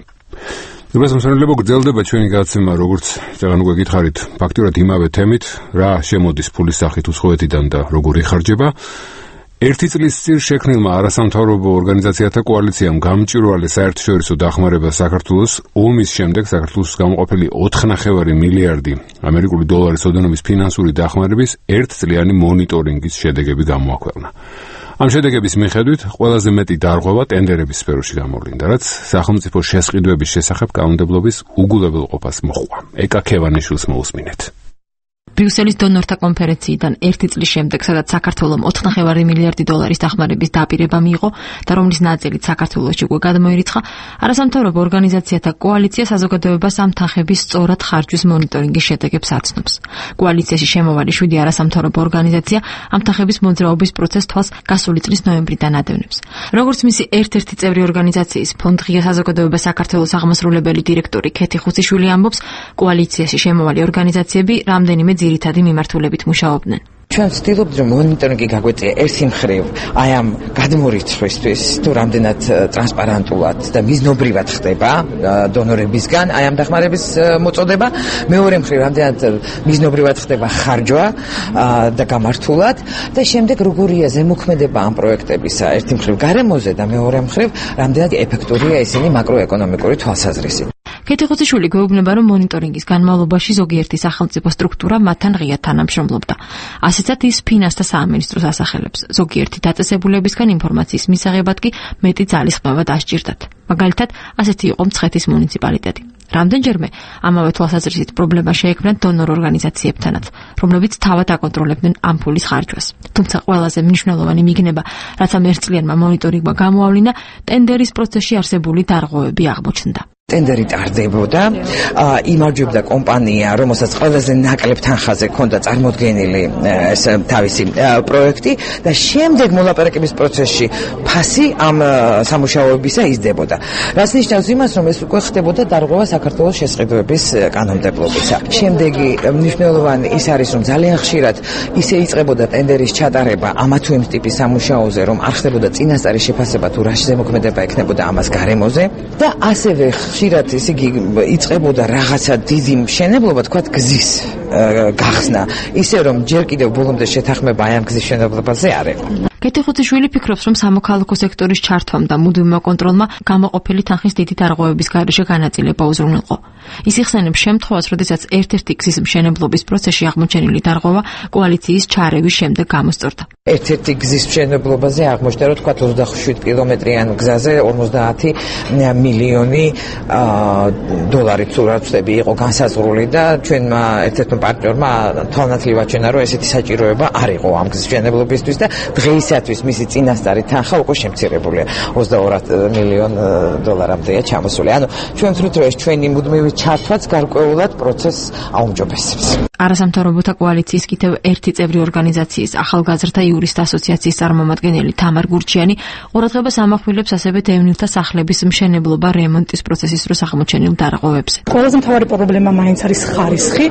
დაბას მოსანელებო გრძელდება ჩვენი გადაცემა, როგორც წეგან უკვე გითხარით, ფაქტურად იმავე თემით, რა შემოდის ფულის სახით უსხოვეთიდან და როგორ იხარჯება. ერთი წლის წინ შექმნილმა არასამთავრობო ორგანიზაციათა კოალიციამ გამჭვირვალე საერთაშორისო დახმარება საქართველოს ომის შემდეგ საქართველოს გამოყოფილი ოთხ ნახევარი მილიარდი ამერიკული დოლარის ოდენობის ფინანსური დახმარების ერთწლიანი მონიტორინგის შედეგები გამოაქვეყნა. ამ შედეგების მიხედვით ყველაზე მეტი დარღვევა ტენდერების სფეროში გამოვლინდა, რაც სახელმწიფო შესყიდვების შესახებ კანონმდებლობის უგულებელყოფას მოჰყვა. ეკა ქევანიშვილს მოусმინეთ. ბრიუსელის დონორთა კონფერენციიდან ერთი წლის შემდეგ, სადაც საქართველომ ოთხ ნახევარი მილიარდი დოლარის დახმარების დაპირება მიიღო და რომლის ნაწილიც საქართველოში უკვე გადმოირიცხა, არასამთავრობო ორგანიზაციათა კოალიცია საზოგადოებას ამ თანხების სწორად ხარჯვის მონიტორინგის შედეგებს აცნობს. კოალიციაში შემოვალი შვიდი არასამთავრობო ორგანიზაცია ამ თანხების მოძრაობის პროცესს თვალს გასული წლის ნოემბრიდან ადევნებს. როგორც მისი ერთ-ერთი წევრი ორგანიზაციის ფონდ ღია საზოგადოება საქართველოს აღმასრულებელი დირექტორი ქეთი ხუციშვილი ამბობს, კოალიციაში შემოვალი ორგანიზაციები რამდენიმე ძირითადი მიმართულებით მუშაობდნენ. ჩვენ ვცდილობთ რომ მონიტორინგი გაგვეწია ერთი მხრივ აი ამ გადმორიცხვისთვის თუ რამდენად ტრანსპარენტულად და მიზნობრივად ხდება დონორებისგან აი ამ დახმარების მოწოდება, მეორე მხრივ რამდენად მიზნობრივად ხდება ხარჯვა და გამართულად და შემდეგ როგორია ზემოქმედება ამ პროექტებისა ერთი მხრივ გარემოზე და მეორე მხრივ რამდენად ეფექტურია ისინი მაკროეკონომიკური თვალსაზრისით. ქეთი ხუციშვილი გვეუბნება, რომ მონიტორინგის განმავლობაში ზოგიერთი სახელმწიფო სტრუქტურა მათთან ღიად თანამშრომლობდა. ასეცად ის ფინანსთა სამინისტროს ასახელებს. ზოგიერთი დაწესებულებისგან ინფორმაციის მისაღებად კი მეტი ძალისხმევა დასჭირდათ. მაგალითად, ასეთი იყო მცხეთის მუნიციპალიტეტი. რამდენჯერმე ამავე თვალსაზრისით პრობლემა შეექმნა დონორ ორგანიზაციებთანაც, რომლებიც თავად აკონტროლებდნენ ამ ფულის ხარჯვას. თუმცა ყველაზე მნიშვნელოვანი მიგნება, რაც ამ ერთწლიანმა მონიტორინგმა გამოავლინა, ტენდერის პროცესში არსებული დარღვევები აღმოჩნდა. ტენდერი ტარდებოდა, იმარჯვებდა კომპანია, რომელსაც ყველაზე ნაკლებ თანხაზე ჰქონდა წარმოდგენილი ეს თავისი პროექტი და შემდეგ მოლაპარაკების პროცესში ფასი ამ სამუშაოებისა იზრდებოდა. რაც ნიშნავს იმას, რომ ეს უკვე ხდებოდა დარღვევა საქართველოს შესყიდვების კანონმდებლობისა. შემდეგი მნიშვნელოვანი ის არის, რომ ძალიან ხშირად ისე იწყებოდა ტენდერის ჩატარება ამა თუ იმ ტიპის სამუშაოზე, რომ არ ხდებოდა წინასწარი შეფასება თუ რა შემოქმედება ექნებოდა ამას გარემოზე და ასევე ხშირად ესე იგი იწყებოდა რაღაცა დიდი მშენებლობა, თქვათ გზის გახსნა, ისე რომ ჯერ კიდევ ბოლომდე შეთანხმება აი ამ გზის მშენებლობაზე არ იყო. კეთი ხუთიშვილი ფიქრობს, რომ სამოქალაქო სექტორის ჩართვამ და მუდმივმა კონტროლმა გამოყოფილი თანხის დიდი დარღვევების გარეშე განაწილება უზრუნველყო. ის იხსენებს შემთხვევას, როდესაც ერთ-ერთი გზის მშენებლობის პროცესში აღმოჩენილი დარღვევა კოალიციის ჩარევის შემდეგ გამოსწორდა. ერთ-ერთი გზის მშენებლობაზე აღმოჩნდა, რომ თქვათ ოცდაშვიდ კილომეტრიან გზაზე ორმოცდაათი მილიონი დოლარი თუ რა ვწდები იყო განსაზღვრული და ჩვენმა ერთ-ერთმა პარტნიორმა თვალნათლივ აჩვენა, რომ ესეთი საჭიროება არ იყო ამ გზის მშენებლობისთვის და დღეისათვის მისი წინასწარი თანხა უკვე შემცირებულია ოცდაორ მილიონ დოლარამდეა ჩამოსული. ანუ ჩვენ ვთვლით, რომ ეს ჩვენი მუდმივი ჩართვაც გარკვეულად პროცესს აუმჯობესებს. არასამთავრობოთა კოალიციის კიდევ ერთი წევრი ორგანიზაციის ახალგაზრდა იურისტთა ასოციაციის წარმომადგენელი თამარ გურჩიანი ყურადღებას ამახვილებს ასევე დევნილთა სახლების მშენებლობა რემონტის პროცესის დროს აღმოჩენილ დარღვევებზე. ყველაზე მთავარი პრობლემა მაინც არის ხარისხი,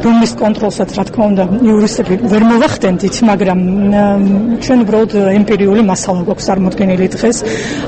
რომლის კონტროლსაც რა თქმა უნდა იურისტები ვერ მოვახდენთ, მაგრამ ჩვენ უბრალოდ ემპირიული მასალა გვაქვს წარმოდგენილი დღეს,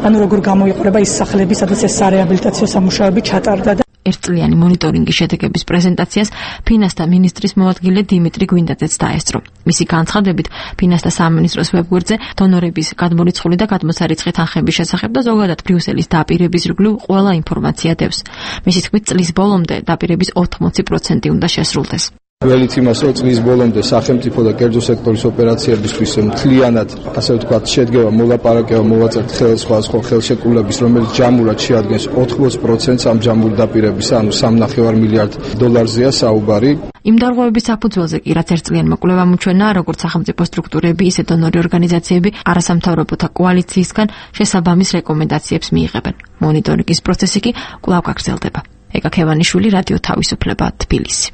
ანუ როგორ გამოიყურება ის სახლები, სადაც ეს სარეაბილიტაციო სამუშაოები ჩატარდა და ერთწლიანი მონიტორინგის შედეგების პრეზენტაციას ფინანსთა მინისტრის მოადგილე დიმიტრი გვინდაძეც დაესწრო. მისი განცხადებით, ფინანსთა სამინისტროს ვებგვერდზე დონორების გადმორიცხული და გადმოცარიცხი თანხების შესახებ და ზოგადად ბრიუსელის დაპირების ირგვლივ ყველა ინფორმაცია დევს. მისი თქმით, წლის ბოლომდე დაპირების ოცდაოთხ პროცენტი უნდა შესრულდეს. ველით იმას, რომ წლის ბოლომდე სახელმწიფო და კერძო სექტორის ოპერაციებისთვის მთლიანად, ასე ვთქვათ, შედგება მოლაპარაკება მოვაწერთ ხელსაწყო ხელშეკრულების, რომელიც ჯამურად შეადგენს ოცდაოთხ პროცენტს ამ ჯამური დაპირებისა, ანუ სამი და ნახევარი მილიარდ დოლარზეა საუბარი. იმ დარღვევების საფუძველზე კი რაც ერთწლიანმა კვლევამ უჩვენა, როგორც სახელმწიფო სტრუქტურები, ისე დონორი ორგანიზაციები არასამთავრობოთა კოალიციისგან შესაბამის რეკომენდაციებს მიიღებენ. მონიტორინგის პროცესი კი კვლავ გაგრძელდება. ეკა ქევანიშვილი, რადიო თავისუფლება, თბილისი.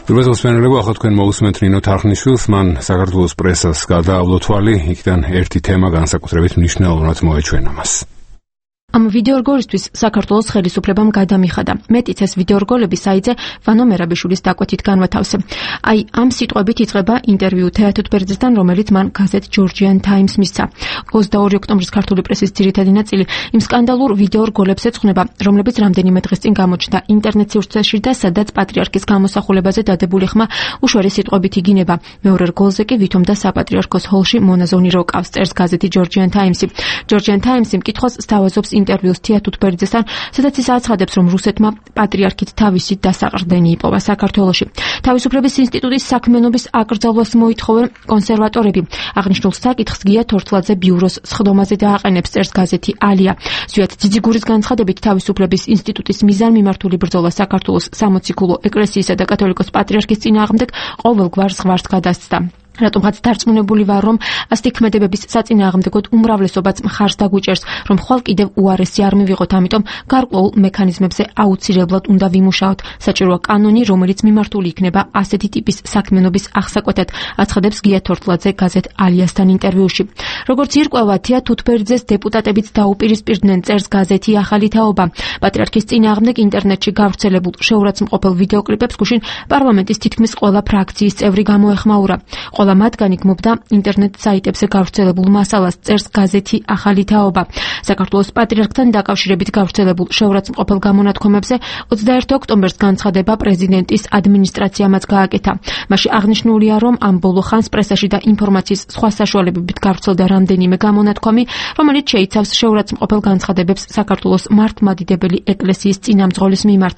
პირველ სპეციალურობა ახლა თქვენ მოусმენთ ნინო თარხნიშვილს, მან საქართველოს პრესას გადაავლო თვალი, იქიდან ერთი თემა განსაკუთრებით მნიშვნელოვნად მოეჩვენა მას. ამ ვიდეორგოლისთვის საქართველოს ხელისუფლებამ გადამიხადა. მეტიც ეს ვიდეორგოლები საიძე ვანო მერაბიშვილის დაკვეთით განვათავსე. აი ამ სიტყვებით იწყება ინტერვიუ თეატრ ბერძესთან, რომელიც მან გაზეთ Georgian Times მისცა. ოცდაორი ოქტომბრის ქართული პრესის ძირითადი ნაწილი იმ სკანდალურ ვიდეორგოლებს ეძღვნება, რომლებიც რამდენიმე დღის წინ გამოჩნდა ინტერნეტ სივრცეში და სადაც პატრიარქის გამოსახულებაზე დადებული ხმა უშუალო სიტყვებით იგინება. მეორე რგოლზე კი ვითომ და საპატრიარქოს ჰოლში მონაზონი როკავს, წერს გაზეთი Georgian Times. Georgian Times მკითხოს სთავაზობს ინტერვიუს თეატრ ბერძესთან, სადაც ის აცხადებს, რომ რუსეთმა პატრიარქით თავისი დასაყრდენი იპოვა საქართველოში. თავისუფლების ინსტიტუტის საქმიანობის აკრძალვას მოითხოვენ კონსერვატორები. აღნიშნულ საკითხს გია თორთლაძე ბიუროს სხდომაზე დააყენებს, წერს გაზეთი ალია. ზვიად ძიძიგურის განცხადებით, თავისუფლების ინსტიტუტის მიზანმიმართული ბრძოლა საქართველოს სამოციქულო ეკლესიისა და კათოლიკოს პატრიარქის წინააღმდეგ ყოველგვარ ზღვარს გადასცდა. რატომღაც დარწმუნებული ვარ, რომ ასეთი ქმედებების საწინააღმდეგოდ უმრავლესობაც მხარს დაგვიჭერს, რომ ხვალ კიდევ უარესი არ მივიღოთ, ამიტომ გარკვეულ მექანიზმებზე აუცილებლად უნდა ვიმუშაოთ. საჭიროა კანონი, რომელიც მიმართული იქნება ასეთი ტიპის საქმიანობის აღსაკვეთად, აცხადებს გია თორთლაძე გაზეთ ალიასთან ინტერვიუში. როგორც ირკვევა, თეატრ ბერძეს დეპუტატებიც დაუპირისპირდნენ, წერს გაზეთი ახალი თაობა. პატრიარქის წინააღმდეგ ინტერნეტში გავრცელებულ შეურაცხმყოფელ ვიდეოკლიპებს გუშინ პარლამენტის თითქმის ყველა ფრაქციის წევრი გამოეხმაურა. ყველა მათგანი გმობდა ინტერნეტ საიტებზე გავრცელებულ მასალას, წერს გაზეთი ახალი თაობა. საქართველოს პატრიარქთან დაკავშირებით გავრცელებულ შეურაცხმყოფელ გამონათქვამებზე ოცდაერთი ოქტომბერს განცხადება პრეზიდენტის ადმინისტრაციამაც გააკეთა. მასში აღნიშნულია, რომ ამ ბოლო ხანს პრესაში და ინფორმაციის სხვა საშუალებებით გავრცელდა რამდენიმე გამონათქვამი, რომელიც შეიცავს შეურაცხმყოფელ განცხადებებს საქართველოს მართლმადიდებელი ეკლესიის წინამძღოლის მიმართ.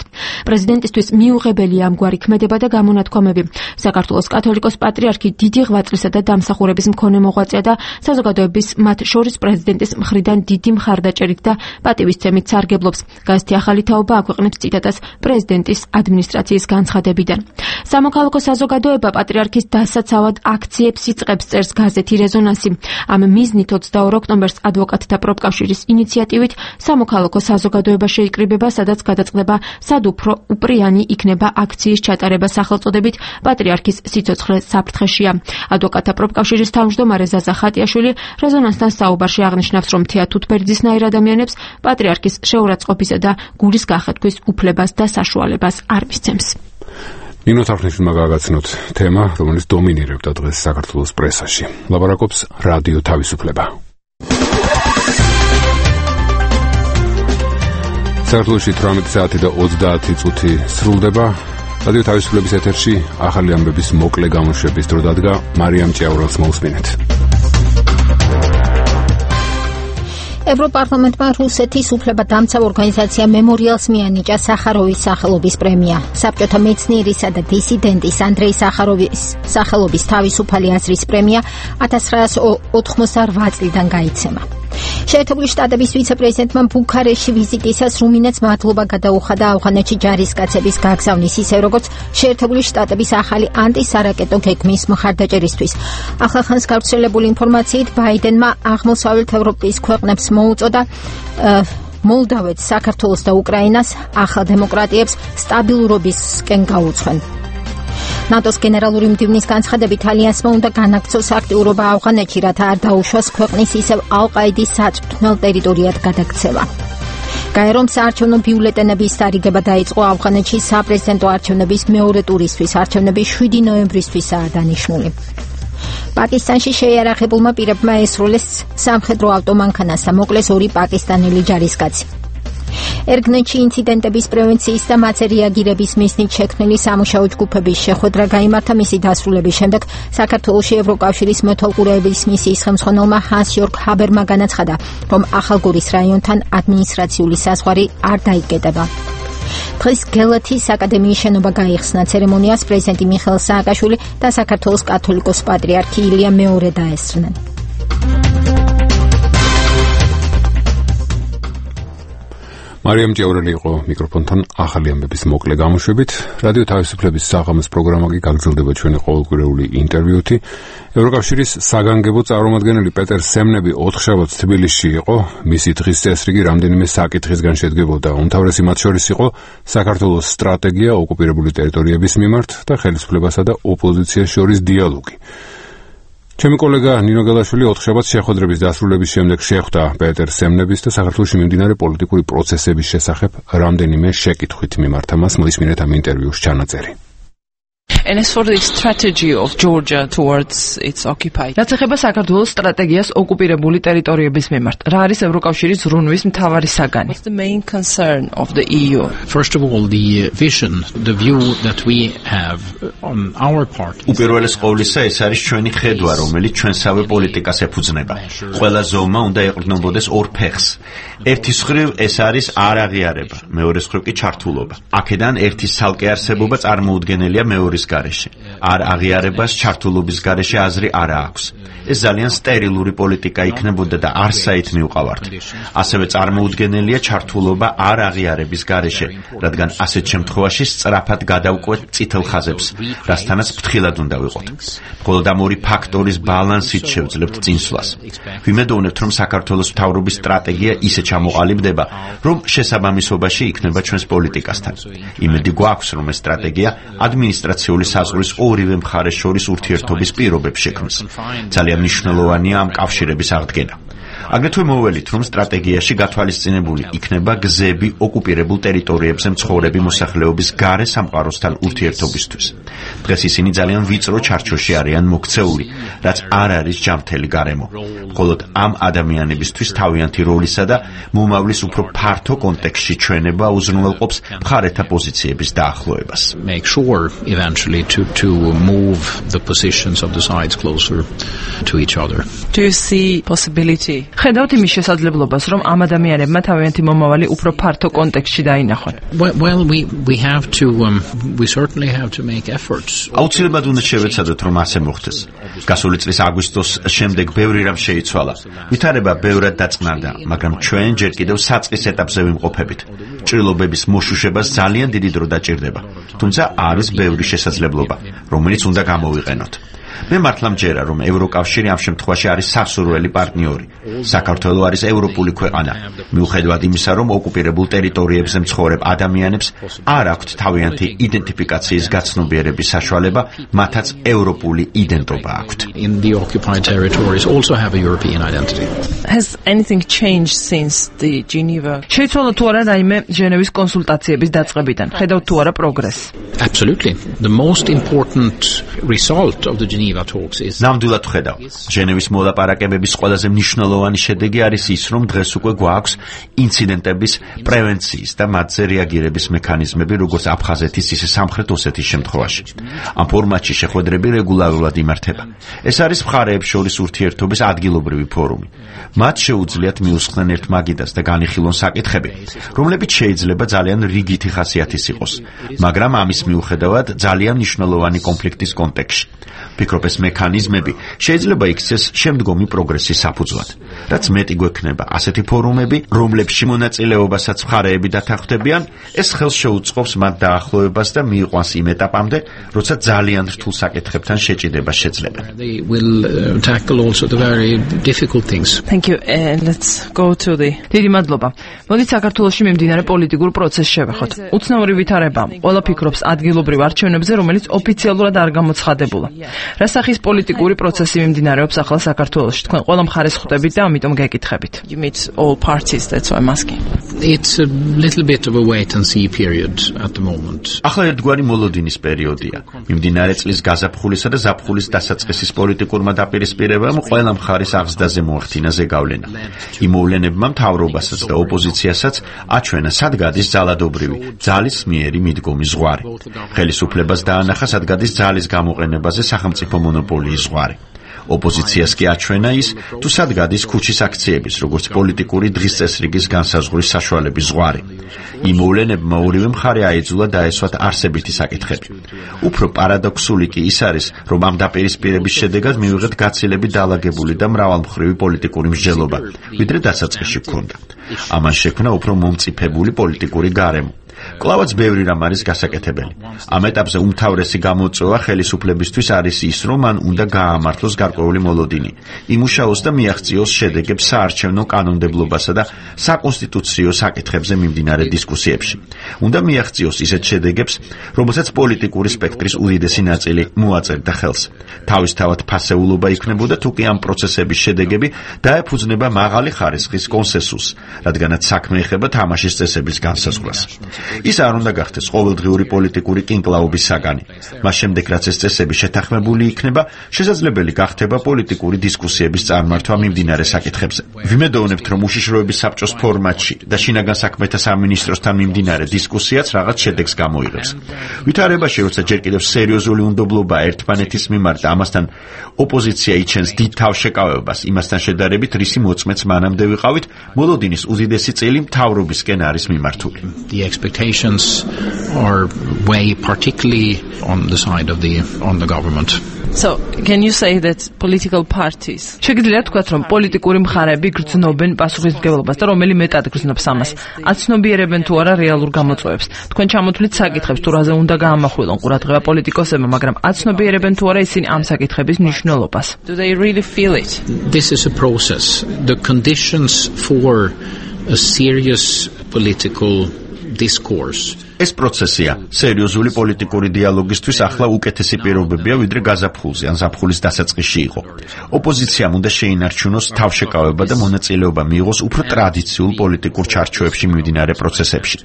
პრეზიდენტისთვის მიუღებელია ამგვარი ქმედება და გამონათქვამები. საქართველოს კათოლიკოს პატრიარქი დიდი დიდი ღვაწლისა და დამსახურების მქონე მოღვაწეა და საზოგადოების მათ შორის პრეზიდენტის მხრიდან დიდი მხარდაჭერით და პატივისცემით სარგებლობს. გაზეთი ახალი თაობა აქვეყნებს ციტატას პრეზიდენტის ადმინისტრაციის განცხადებიდან. სამოქალაქო საზოგადოება პატრიარქის დასაცავად აქციებს იწყებს, წერს გაზეთი რეზონანსი. ამ მიზნით ოცდაორ ოქტომბერს ადვოკატთა პროფკავშირის ინიციატივით სამოქალაქო საზოგადოება შეიკრიბება, სადაც გადაწყდება სად უფრო უპრიანი იქნება აქციის ჩატარება სახელწოდებით პატრიარქის სიცოცხლე საფრთხეშია. ადვოკატთა პროფკავშირის თავმჯდომარე ზაზა ხატიაშვილი რეზონანსთან საუბარში აღნიშნავს, რომ თეათუთბერძისნაირ ადამიანებს პატრიარქის შეურაცხყოფისა და გულის გახეთქვის უფლებას და საშუალებას არ მისცემს. ნინო თარხნიშვილმა გააგაცნოთ თემა, რომელიც დომინირებდა დღეს საქართველოს პრესაში. ლაპარაკობს რადიო თავისუფლება. საქართველოში თვრამეტი საათი და ოცდაათი წუთი სრულდება. რადიო თავისუფლების ეთერში ახალი ამბების მოკლე გამოშვების დრო დადგა. მარიამ ჭიაურელს მოусმინეთ. ევროპარლამენტმა რუსეთის უფლებადამცავ ორგანიზაცია მემორიალს მიანიჭა სახაროვის სახელობის პრემია. საბჭოთა მეცნიერისა და დისიდენტის ანდრეი სახაროვის სახელობის თავისუფალი აზრის პრემია ათას ცხრაასი ოთხმოცდაოთხ წლიდან გაიცემა. შეერთებული შტატების ვიცე-პრეზიდენტმა ბუქარესტში ვიზიტისას რუმინეთს მადლობა გადაუხადა ავღანეთში ჯარისკაცების გაგზავნის, ისე როგორც შეერთებული შტატების ახალი ანტისარაკეტო გეგმის მხარდაჭერისთვის. ახლახანს გავრცელებული ინფორმაციით ბაიდენმა აღმოსავლეთ ევროპის ქვეყნებს მოუწოდა მოლდავეთს, საქართველოს და უკრაინას ახალ დემოკრატიებს სტაბილურობისკენ გაუძღვენ. ნატოს გენერალური მდივნის განცხადებით ალიანსმა უნდა განაგრძოს აქტიურობა ავღანეთში, რათა არ დაუშვას ქვეყნის ისევ ალ-ყაიდის საწვრთნელ ტერიტორიად გადაქცევა. გაერომ საარჩევნო ბიულეტენების დარიგება დაიწყო ავღანეთში საპრეზიდენტო არჩევნების მეორე ტურისთვის. არჩევნები შვიდი ნოემბრისთვისაა დანიშნული. პაკისტანში შეიარაღებულმა პირებმა ესრულეს სამხედრო ავტომანქანას და მოკლეს ორი პაკისტანელი ჯარისკაცი. ერგნეთში ინციდენტების პრევენციის და მათზე რეაგირების მიზნით შექმნილი სამუშაო ჯგუფების შეხვედრა გაიმართა. მისი დასრულების შემდეგ საქართველოში ევროკავშირის მეთვალყურეების მისიის ხელმძღვანელმა ჰანს იორგ ჰაბერმა განაცხადა, რომ ახალგორის რაიონთან ადმინისტრაციული საზღვარი არ დაიკეტება. დღეს გელათის აკადემიის შენობა გაიხსნა. ცერემონიას პრეზიდენტი მიხეილ სააკაშვილი და საქართველოს კათოლიკოს პატრიარქი ილია მეორე დაესწრნენ. მარიამ ჭიაურელი იყო მიკროფონთან ახალი ამბების მოკლე გამოშვებით. რადიო თავისუფლების საღამოს პროგრამა კი გაგრძელდება ჩვენი ყოველკვირეული ინტერვიუთი. ევროკავშირის საგანგებო წარმომადგენელი პეტერ სემნები ოთხშაბათს თბილისში იყო. მისი დღის წესრიგი რამდენიმე საკითხისგან შედგებოდა. უმთავრესი მათ შორის იყო საქართველოს სტრატეგია ოკუპირებული ტერიტორიების მიმართ და ხელისუფლებასა და ოპოზიციას შორის დიალოგი. ჩემი კოლეგა ნინო გელაშვილი ოთხშაბათს შეხვედრების დასრულების შემდეგ შეხვდა პეტერ სემნების და საქართველოში მიმდინარე პოლიტიკური პროცესების შესახებ რამდენიმე შეკითხვით მიმართა მას. მოისმინეთ ამ ინტერვიუს ჩანაწერი. And as for the strategy of Georgia towards its occupied. რაც ეხება საქართველოს სტრატეგიას ოკუპირებული ტერიტორიების მიმართ, რა არის ევროკავშირის ზრუნვის მთავარი საგანი? What's the main concern of the E U? First of all, the vision, the view that we have on our part. უპირველეს ყოვლისა, ეს არის ჩვენი ხედვა, რომელიც ჩვენსავე პოლიტიკას ეფუძნება. ყველა ზომა უნდა ეყრდნობოდეს ორ ფეხს. ერთის მხრივ ეს არის არაღიარება, მეორეს მხრივ კი ჩართულობა. აქედან ერთის ცალკე არსებობა წარმოუდგენელია მეორის გარეშე. არ აღიარებას ჩართულობის გარეშე აზრი არა აქვს. ეს ძალიან სტერილური პოლიტიკა იქნებოდა და არ საით მივყავართ. ასევე წარმოუდგენელია ჩართულობა არ აღიარების გარეშე, რადგან ასეთ შემთხვევაში სწრაფად გადავკვეთ წითელ ხაზებს, რასთანაც ფრთხილად უნდა ვიყოთ. მხოლოდ ამ ორი ფაქტორის ბალანსით შევძლებთ წინსვლას. ვიმედოვნებთ, რომ საქართველოს მთავრობის სტრატეგია ისე ჩამოყალიბდება, რომ შესაბამისობაში იქნება ჩვენს პოლიტიკასთან. იმედი გვაქვს, რომ ეს სტრატეგია ადმინისტრაციული საზღვრის ორივე მხარეს შორის ურთიერთობის პირობებს შექმნის. ძალიან მნიშვნელოვანია ამ კავშირების აღდგენა. აგრეთვე მოველით, რომ სტრატეგიაში გათვალისწინებული იქნება გზები ოკუპირებულ ტერიტორიებზე მცხოვრები მოსახლეობის გარე სამყაროსთან ურთიერთობისთვის. დღეს ისინი ძალიან ვიწრო ჩარჩოში არიან მოქცეული, რაც არ არის ჯანმრთელი გარემო. მხოლოდ ამ ადამიანებისთვის თავიანთი როლისა და მომავლის უფრო ფართო კონტექსტში ჩვენება უზრუნველყოფს მხარეთა პოზიციების დაახლოებას. Make sure eventually to to move the positions of the sides closer to each other. Do you see possibility ხედავთ იმის შესაძლებლობას, რომ ამ ადამიანებმა თავიანთი მომავალი უფრო ფართო კონტექსტში დაინახონ. Well, we we have to um, we certainly have to make efforts. აუცილებლად უნდა შევეცადოთ, რომ ასე მოხდეს. გასული წლის აგვისტოს შემდეგ ბევრი რამ შეიცვალა. ვითარება ბევრად დაწყნარდა, მაგრამ ჩვენ ჯერ კიდევ საწყის ეტაპზე ვიმყოფებით. ჭრილობების მოშუშებას ძალიან დიდი დრო დაჭირდება. თუმცა არის ბევრი შესაძლებლობა, რომელიც უნდა გამოვიყენოთ. მე მართლა მჯერა, რომ ევროკავშირი ამ შემთხვევაში არის სასურველი პარტნიორი. საქართველო არის ევროპული ქვეყანა. მიუხედავად იმისა, რომ ოკუპირებულ ტერიტორიებზე მცხოვრებ ადამიანებს არ აქვთ თავიანთი იდენტიფიკაციის გაცნობიერების საშუალება, მათაც ევროპული იდენტობა აქვთ. In the occupied territories also have a European identity. Has anything changed since the Geneva? შეიცვალა თუ არა რაიმე ჟენევის კონსულტაციების დაწყებიდან? ხედავთ თუ არა პროგრესს? Absolutely. The most important result of the Geneva ნამდვილად ხედავ. ჟენევის მოლაპარაკებების ყველაზე მნიშვნელოვანი შედეგი არის ის, რომ დღეს უკვე გვაქვს ინციდენტების პრევენციის და მათზე რეაგირების მექანიზმები, როგორც აფხაზეთის, ისე სამხრეთ ოსეთის შემთხვევაში. ამ ფორმატში შეხვედრები რეგულარულად იმართება. ეს არის მხარეებს შორის ურთიერთობის ადგილობრივი ფორუმი. მათ შეუძლიათ მიუსხდნენ ერთ მაგიდას და განიხილონ საკითხები, რომლებიც შეიძლება ძალიან რიგითი ხასიათის იყოს, მაგრამ ამის მიუხედავად ძალიან მნიშვნელოვანი კონფლიქტის კონტექსტში. ფიქრობ, ეს მექანიზმები შეიძლება იქცეს შემდგომი პროგრესის საფუძვლად. რაც მეტი გვექნება ასეთი ფორუმები, რომლებში მონაწილეობასაც მხარეები დათანხმდებიან, ეს ხელს შეუწყობს მათ დაახლოებას და მიიყვანს იმ ეტაპამდე, როცა ძალიან რთულ საკითხებთან შეჭიდება შეძლება. They will uh, tackle also the very difficult things. Thank you. And let's go to the დიდი მადლობა. მოდით საქართველოში მიმდინარე პოლიტიკურ პროცესს შევეხოთ. უცნაური ვითარება. ყველა ფიქრობს ადგილობრივ არჩევნებზე, რომელიც ოფიციალურად არ გამოცხადებულა. რა სახის პოლიტიკური პროცესი მიმდინარეობს ახლა საქართველოში? თქვენ ყველა მხარეს ხვდებით და ამიტომ გეკითხებით. You meet all parties, that's why I'm asking. It's a little bit of a wait and see period at the moment. ახლა ერთგვარი მოლოდინის პერიოდია. მიმდინარე წლის გაზაფხულისა და ზაფხულის დასაწყისის პოლიტიკურმა დაპირისპირებამ ყველა მხარის აღზრდაზე მოახდინა ზეგავლენა. იმ მოვლენებმა მთავრობასაც და ოპოზიციასაც აჩვენა სად გადის ძალადობრივი, ძალის მიერი მიდგომი ზღვარი. ხელისუფლებას დაანახა სად გადის ძალის გამოყენებაზე სახელმწიფო მონოპოლიის ზღვარი. ოპოზიციას კი აჩვენა ის, თუ სად გადის ქუჩის აქციების, როგორც პოლიტიკური დღის წესრიგის განსაზღვრის საშუალების ზღვარი. იმ მოვლენებმა ორივე მხარე აიძულა დაესვათ არსებითი საკითხები. უფრო პარადოქსული კი ის არის, რომ ამ დაპირისპირების შედეგად მივიღეთ გაცილებით დაალაგებული და მრავალმხრივი პოლიტიკური მსჯელობა, ვიდრე დასაწყისში გქონდა. ამან შექმნა უფრო მომწიფებული პოლიტიკური გარემო. კლავაც ბევრი რამ არის გასაკეთებელი. ამ ეტაპზე უმთავრესი გამოწვევა ხელისუფლებისთვის არის ის, რომ მან უნდა გაამართლოს გარკვეული მოლოდინი, იმუშაოს და მიაღწიოს შედეგებს საარჩევნო კანონმდებლობასა და საკონსტიტუციო საკითხებზე მიმდინარე დისკუსიებში. უნდა მიაღწიოს ისეთ შედეგებს, რომელსაც პოლიტიკური სპექტრის უდიდესი ნაწილი მოაწერდა ხელს. თავისთავად ფასეულობა იქნებოდა თუ კი ამ პროცესების შედეგები დაეფუძნება მაღალი ხარისხის კონსენსუსს, რადგანაც საქმე ეხება თამაშის წესების განსაზღვრას. ის არ უნდა გახდეს ყოველდღიური პოლიტიკური კინკლაობის საგანი. მას შემდეგ, რაც ეს წესები შეთანხმებული იქნება, შესაძლებელი გახდება პოლიტიკური დისკუსიების წარმართვა მიმდინარე საკითხებზე. ვიმედოვნებთ, რომ უშიშროების საბჭოს ფორმატში და შინაგან საქმეთა სამინისტროსთან მიმდინარე დისკუსიაც რაღაც შედეგს გამოიღებს. ვითარებაში, როცა ჯერ კიდევ სერიოზული უნდობლობა ერთმანეთის მიმართ და ამასთან ოპოზიცია იჩენს დიდ თავშეკავებას, იმასთან შედარებით, რისი მოწმეც მანამდე ვიყავით, მოლოდინის უდიდესი წილი მთავრობისკენ არის მიმართული. The expectations are way particularly on the side of the on the government. So, can you say that political parties? შეგიძლიათ თქვათ, რომ პოლიტიკური მხარეები გრძნობენ პასუხისმგებლობას და რომელი მეტად გრძნობს ამას? აცნობიერებენ თუ არა რეალურ გამოწვევებს? თქვენ ჩამოთვლით საკითხებს, თუ რაზე უნდა გაამახვილონ ყურადღება პოლიტიკოსებმა, მაგრამ აცნობიერებენ თუ არა ისინი ამ საკითხების მნიშვნელობას? Do they really feel it? This is a process. The conditions for a serious political discourse. ეს პროცესია. სერიოზული პოლიტიკური დიალოგისთვის ახლა უკეთესი პირობებია, ვიდრე გაზაფხულზე ან ზაფხულის დასაწყისში იყო. ოპოზიციამ უნდა შეინარჩუნოს თავშეკავება და მონაწილეობა მიიღოს უფრო ტრადიციულ პოლიტიკურ ჩარჩოებში მიმდინარე პროცესებში.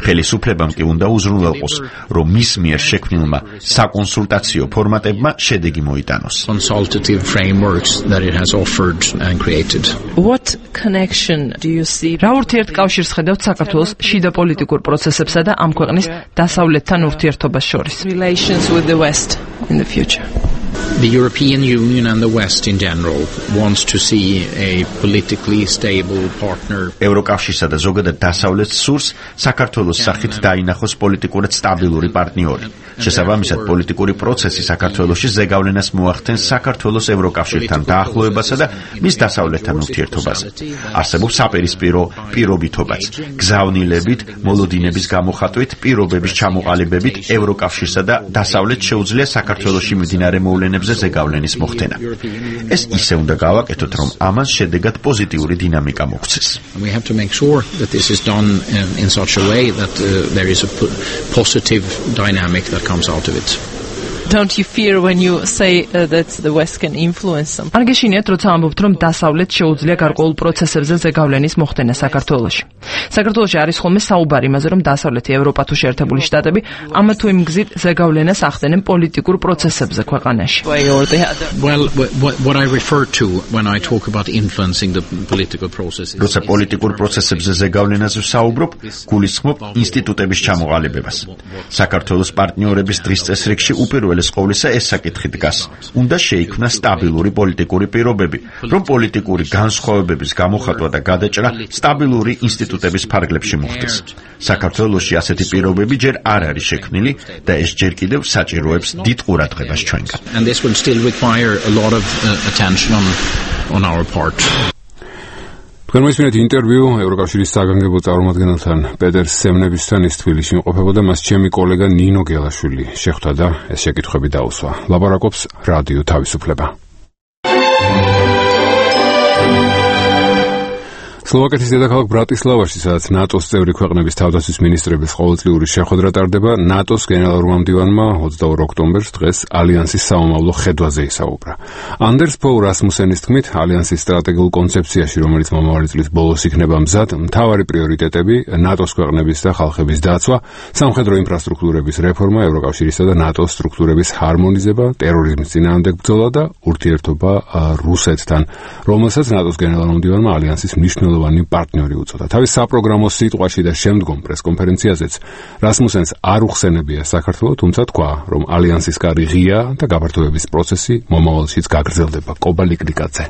ხელისუფლებამ კი უნდა უზრუნველყოს, რომ მის მიერ შექმნილმა საკონსულტაციო ფორმატებმა შედეგი მოიტანოს. Consultative frameworks that it has offered and created. What connection do you see? რა ურთიერთკავშირს ხედავთ საქართველოს შიდა პოლიტიკურ პროცესებსა და ამ ქვეყნის დასავლეთთან ურთიერთობას შორის? Relations with the West in the future. The European Union and the West in general wants to see a politically stable partner. ევროკავშირსა და ზოგადად დასავლეთს სურს საქართველოს სახით დაინახოს პოლიტიკურად სტაბილური პარტნიორი. შესაბამისად, პოლიტიკური პროცესი საქართველოში ზეგავლენას მოახდენს საქართველოს ევროკავშირთან დაახლოებასა და მის დასავლეთთან ურთიერთობაზე. არსებობს საპირისპირო პირობითობაც, გზავნილებით, მოლოდინების გამოხატვით, პირობების ჩამოყალიბებით ევროკავშირსა და დასავლეთს შეუძლია საქართველოში მიმდინარე მოვლენებზე ზეგავლენის მოხდენა. ეს ისე უნდა გავაკეთოთ, რომ ამას შედეგად პოზიტიური დინამიკა მოგვცეს. We have to make sure that this is done in, in such a way that uh, there is a p- positive dynamic that comes out of it. Don't you fear when you say uh, that the West can influence them? არ გეშინიათ, როცა ამბობთ, რომ დასავლეთ შეუძლია გარკვეულ პროცესებზე ზეგავლენის მოხდენა საქართველოში. საქართველოში არის ხოლმე საუბარი იმაზე, რომ დასავლეთი ევროპა თუ შეერთებული შტატები ამა თუ იმ გზით ზეგავლენას ახდენენ პოლიტიკურ პროცესებზე ქვეყანაში. Well, what, what I refer to when I talk about influencing the political process is როცა პოლიტიკურ პროცესებზე ზეგავლენაზე ვსაუბრობ, გულისხმობ ინსტიტუტების ჩამოყალიბებას. საქართველოს პარტნიორების დღის წესრიგში უპირველეს ყოვლისა ეს საკითხი დგას. უნდა შეიქმნა სტაბილური პოლიტიკური პირობები, რომ პოლიტიკური განსხვავებების გამოხატვა და გადაჭრა სტაბილური ინსტიტუტების ფარგლებში მოხდეს. საქართველოში ასეთი პირობები ჯერ არ არის შექმნილი და ეს ჯერ კიდევ საჭიროებს დიდ ყურადღებას ჩვენგან. And this will still require a lot of uh, attention on on our part. თქვენ მოისმინეთ ინტერვიუ ევროკავშირის საგანგებო წარმომადგენელთან პეტერ სემნებისთან, ის თბილისში იმყოფებოდა, მას ჩემი კოლეგა ნინო გელაშვილი შეხვდა და ეს შეკითხვები დაუსვა. ლაპარაკობს რადიო თავისუფლება. სლოვაკეთის დედაქალაქ ბრატისლავაში, სადაც ნატოს წევრი ქვეყნების თავდაცვის მინისტრების ყოველწლიური შეხვედრა ტარდება, ნატოს გენერალურმა მდივანმა ოცდაორ ოქტომბერს დღეს ალიანსის სამომავლო ხედვაზე ისაუბრა. ანდერს ფოუ რასმუსენის თქმით, ალიანსის სტრატეგიულ კონცეფციაში, რომელიც მომავალი წლის ბოლოს იქნება მზად, მთავარი პრიორიტეტები ნატოს ქვეყნების და ხალხების დაცვა, სამხედრო ინფრასტრუქტურების რეფორმა, ევროკავშირისა და ნატოს სტრუქტურების ჰარმონიზება, ტერორიზმის წინააღმდეგ ბრძოლა და ურთიერთობა რუსეთთან, რომელსაც ნატოს გენერალურმა მდივანმა ალიანსის მნიშვნელოვანი პარტნიორი უწოდა. თავის საპროგრამო სიტყვაში და შემდგომ პრესკონფერენციაზეც რასმუსენს არ უხსენებია საქართველო, თუმცა თქვა, რომ ალიანსის კარი ღია და გაფართოების პროცესი მომავალშიც გაგრძელდება. კობა ლიკრიკაძე.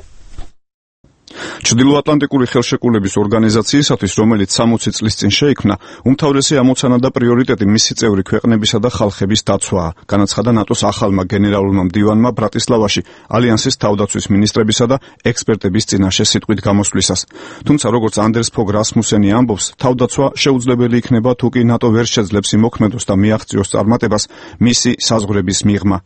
ჩრდილოატლანტიკური ხელშეკრულების ორგანიზაციისათვის, რომელიც სამოცი წლის წინ შეიქმნა, უმთავრესი ამოცანა და პრიორიტეტი მისი წევრი ქვეყნებისა და ხალხების დაცვაა, განაცხადა ნატოს ახალმა გენერალურმა მდივანმა ბრატისლავაში ალიანსის თავდაცვის მინისტრებისა და ექსპერტების წინაშე სიტყვით გამოსვლისას. თუმცა, როგორც ანდერს ფოგ რასმუსენი ამბობს, თავდაცვა შეუძლებელი იქნება თუ კი ნატო ვერ შეძლებს იმოქმედოს და მიაღწიოს წარმატებას მისი საზღვრების მიღმა.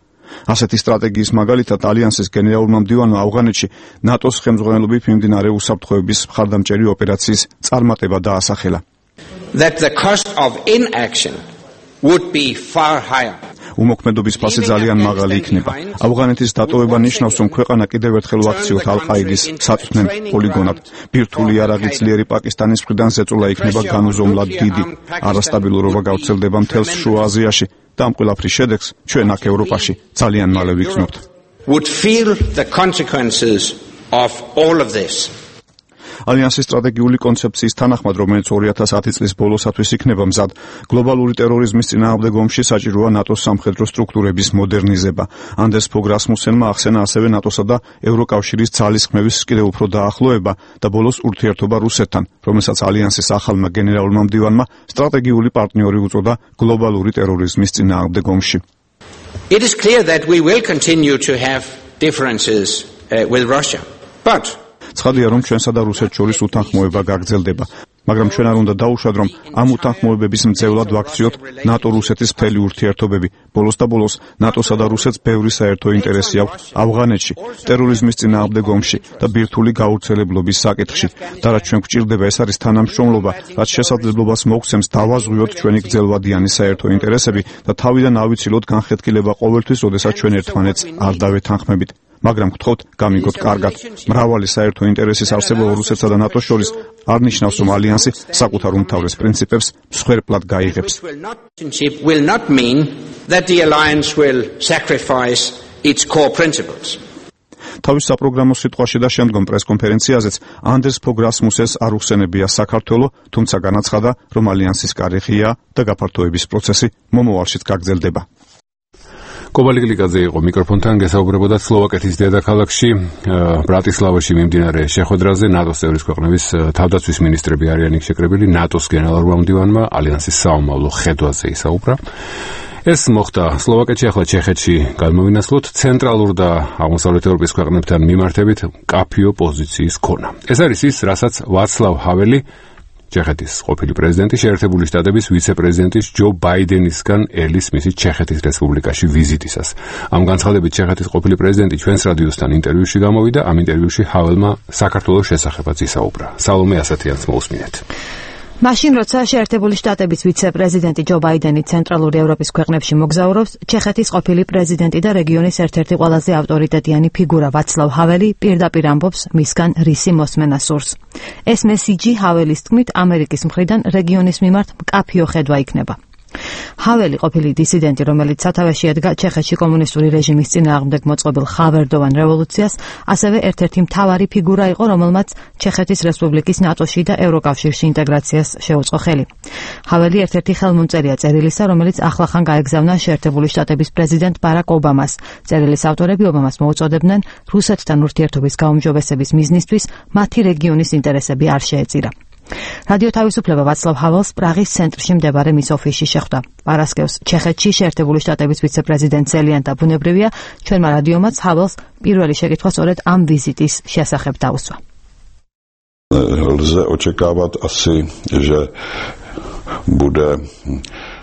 ასეთი სტრატეგიის მაგალითად ალიანსის გენერალურმა მდივანმა ავღანეთში ნატოს ხელმძღვანელობით მიმდინარე უსაფრთხოების მხარდამჭერი ოპერაციის წარმატება დაასახელა. That the cost of inaction would be far higher. უმოქმედობის ფასი ძალიან მაღალი იქნება. ავღანეთის დატოვება ნიშნავს, რომ ქვეყანა კიდევ ერთხელ ვაქციოთ ალ-ყაიდის საწვრთნელ პოლიგონად. ბირთვული იარაღი ძლიერი პაკისტანის მხრიდან ზეწოლა იქნება განუზომლად დიდი. არასტაბილურობა გავრცელდება მთელს შუა აზიაში და ამ ყველაფრის შედეგს ჩვენ აქ ევროპაში ძალიან მალე ვიქნებთ. Would feel the consequences of all of this. ალიანსის სტრატეგიული კონცეფციის თანახმად, რომელიც ორი ათას ათი წლის ბოლოსათვის იქნება მზად, გლობალური ტერორიზმის წინააღმდეგ ომში საჭიროა ნატოს სამხედრო სტრუქტურების მოდერნიზება. ანდერს ფოგ რასმუსენმა ახსენა ასევე ნატოსა და ევროკავშირის ძალისხმევის კიდევ უფრო დაახლოება და ბოლოს ურთიერთობა რუსეთთან, რომელსაც ალიანსის ახალმა გენერალურმა მდივანმა სტრატეგიული პარტნიორი უწოდა გლობალური ტერორიზმის წინააღმდეგ ომში. It is clear that we will continue to have differences uh, with Russia. But ცხადია, რომ ჩვენსა და რუსეთს შორის უთანხმოება გაგრძელდება, მაგრამ ჩვენ არ უნდა დაუშვათ, რომ ამ უთანხმოებების მძევლად ვაქციოთ ნატო-რუსეთის მთელი ურთიერთობები. ბოლოს და ბოლოს ნატოსა და რუსეთს ბევრი საერთო ინტერესი აქვს ავღანეთში, ტერორიზმის წინააღმდეგ ომში და ბირთვული გავრცელებლობის საკითხში. და რაც ჩვენ გვჭირდება, ეს არის თანამშრომლობა, რაც შესაძლებლობას მოგცემს დავაზღვიოთ ჩვენი გრძელვადიანი საერთო ინტერესები და თავიდან ავიცილოთ განხეთქილება ყოველთვის, როდესაც ჩვენ ერთმანეთს არ დავეთანხმებით. მაგრამ გთხოვთ, გამიგოთ კარგად, მრავალი საერთო ინტერესის არსებობა რუსეთსა და ნატოს შორის არ ნიშნავს, რომ ალიანსი საკუთარ უმთავრეს პრინციპებს მსხვერპლად გაიღებს. will not mean that the alliance will sacrifice its core principles. თავის საპროგრამო სიტყვაში და შემდგომ პრესკონფერენციაზეც ანდერს ფოგ რასმუსენს არ უხსენებია საქართველო, თუმცა განაცხადა, რომ ალიანსის კარი ღია და გაფართოების პროცესი მომავალშიც გაგრძელდება. კობალიგლიკაძე იყო მიკროფონთან, გესაუბრებოდა სლოვაკეთის დედაქალაქში ბრატისლავაში მიმდინარე შეხვედრაზე. ნატოს წევრის ქვეყნების თავდაცვის მინისტრები არიან იქ შეკრებილი. ნატოს გენერალურმა მდივანმა ალიანსის საომავლო ხედვაზე ისაუბრა. ეს მოხდა სლოვაკეთში, ახლა ჩეხეთში გადმოვინაცვლოთ. ცენტრალურ და აღმოსავლეთ ევროპის ქვეყნებთან მიმართებით მკაფიო პოზიციის ქონა. ეს არის ის, რასაც ვაცლავ ჰაველი, ჩეხეთის ყოფილი პრეზიდენტი, შეერთებული შტატების ვიცე-პრეზიდენტის ჯო ბაიდენისგან ელის მისი ჩეხეთის რესპუბლიკაში ვიზიტისას. ამ განცხადებით ჩეხეთის ყოფილი პრეზიდენტი ჩვენს რადიოსთან ინტერვიუში გამოვიდა. ამ ინტერვიუში ჰაველმა საქართველოს შესახებაც ისაუბრა. სალომე ასათიანს მოусმინეთ. მაშინ როცა შეერთებული შტატების ვიცე-პრეზიდენტი ჯო ბაიდენი ცენტრალური ევროპის ქვეყნებში მოგზაურობს, ჩეხეთის ყოფილი პრეზიდენტი და რეგიონის ერთ-ერთი ყველაზე ავტორიტეტიანი ფიგურა ვაცლავ ჰაველი პირდაპირ ამბობს მისგან რისი მოსმენა სურს. ეს მესიჯი ჰაველის თქმით ამერიკის მხრიდან რეგიონის მიმართ მკაფიო ხედვა იქნება. ჰაველი ყოფილი დისიდენტი, რომელიც სათავეში ედგა ჩეხეთში კომუნისტური რეჟიმის წინააღმდეგ მოწყობილ ხავერდოვან რევოლუციას, ასევე ერთ-ერთი მთავარი ფიგურა იყო, რომელმაც ჩეხეთის რესპუბლიკის ნატოში და ევროკავშირში ინტეგრაციას შეუწყო ხელი. ჰაველი ერთ-ერთი ხელმომწერია წერილისა, რომელიც ახლახან გაეგზავნა შეერთებული შტატების პრეზიდენტ ბარაკ ობამას. წერილის ავტორები ობამას მოუწოდებდნენ რუსეთთან ურთიერთობის გაუმჯობესების მიზნისთვის მათი რეგიონის ინტერესები არ შეეწირა. რადიო თავისუფლება ვაცლავ ჰაველს პრაღის ცენტრში მდებარე მის ოფისში შეხვდა. პარასკევს ჩეხეთში შეერთებული შტატების ვიცე-პრეზიდენტ ზელიან და ბუნებრივია, ჩვენმა რადიომაც ჰაველს პირველი შეკითხვა სწორედ ამ ვიზიტის შესახებ დაუსვა. Lze očekávat asi, že bude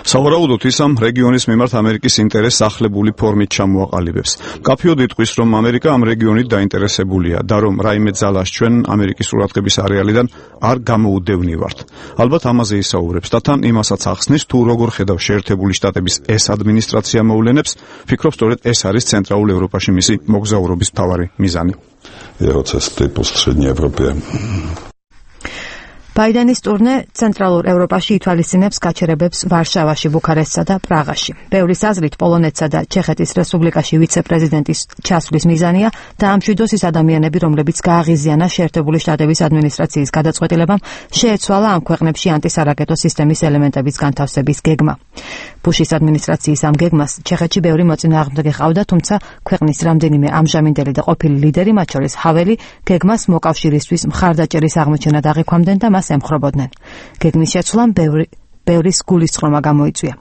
სავარაუდოდ ის ამ რეგიონის მიმართ ამერიკის ინტერესსახლებული ფორმით ჩამოაყალიბებს. მკაფიოდ იტყვის, რომ ამერიკა ამ რეგიონით დაინტერესებულია და რომ რაიმე ძალას ჩვენ ამერიკის ყურადღების არეალიდან არ გამოუდევნივართ. ალბათ ამაზე ისაუბრებს და თან იმასაც ახსნის, თუ როგორ ხედავს შეერთებული შტატების ეს ადმინისტრაცია მოვლენებს, ფიქრობს სწორედ ეს არის ცენტრალურ ევროპაში მისი მოგზაურობის მთავარი მიზანი. Jeho cesty po střední Evropě. ბაიდენის ტურნე ცენტრალურ ევროპაში ითვალისწინებს გაჩერებებს ვარშავაში, ბუქარესტსა და პრაღაში. ბევრის აზრით პოლონეთსა და ჩეხეთის რესპუბლიკაში ვიცე-პრეზიდენტის ჩასვლის მიზანია დაამშვიდოს ის ადამიანები, რომლებიც გააღიზიანა შეერთებული შტატების ადმინისტრაციის გადაწყვეტილებამ შეეცვალა ამ ქვეყნებში ანტისარაკეტო სისტემის ელემენტების განთავსების გეგმა. ბუშის ადმინისტრაციის ამ გეგმას ჩეხეთში ბევრი მოწინააღმდეგე ყავდა, თუმცა ქვეყნის რამდენიმე ამჟამინდელი და ყოფილი ლიდერი, მათ შორის ჰაველი, გეგმას მოკავშირისთვის მხარდაჭერის აღმოჩენად აღიქვამდნენ და მას ემხრობოდნენ. გეგმის შეცვლამ ბევრი ბევრის გულისწყრომა გამოიწვია.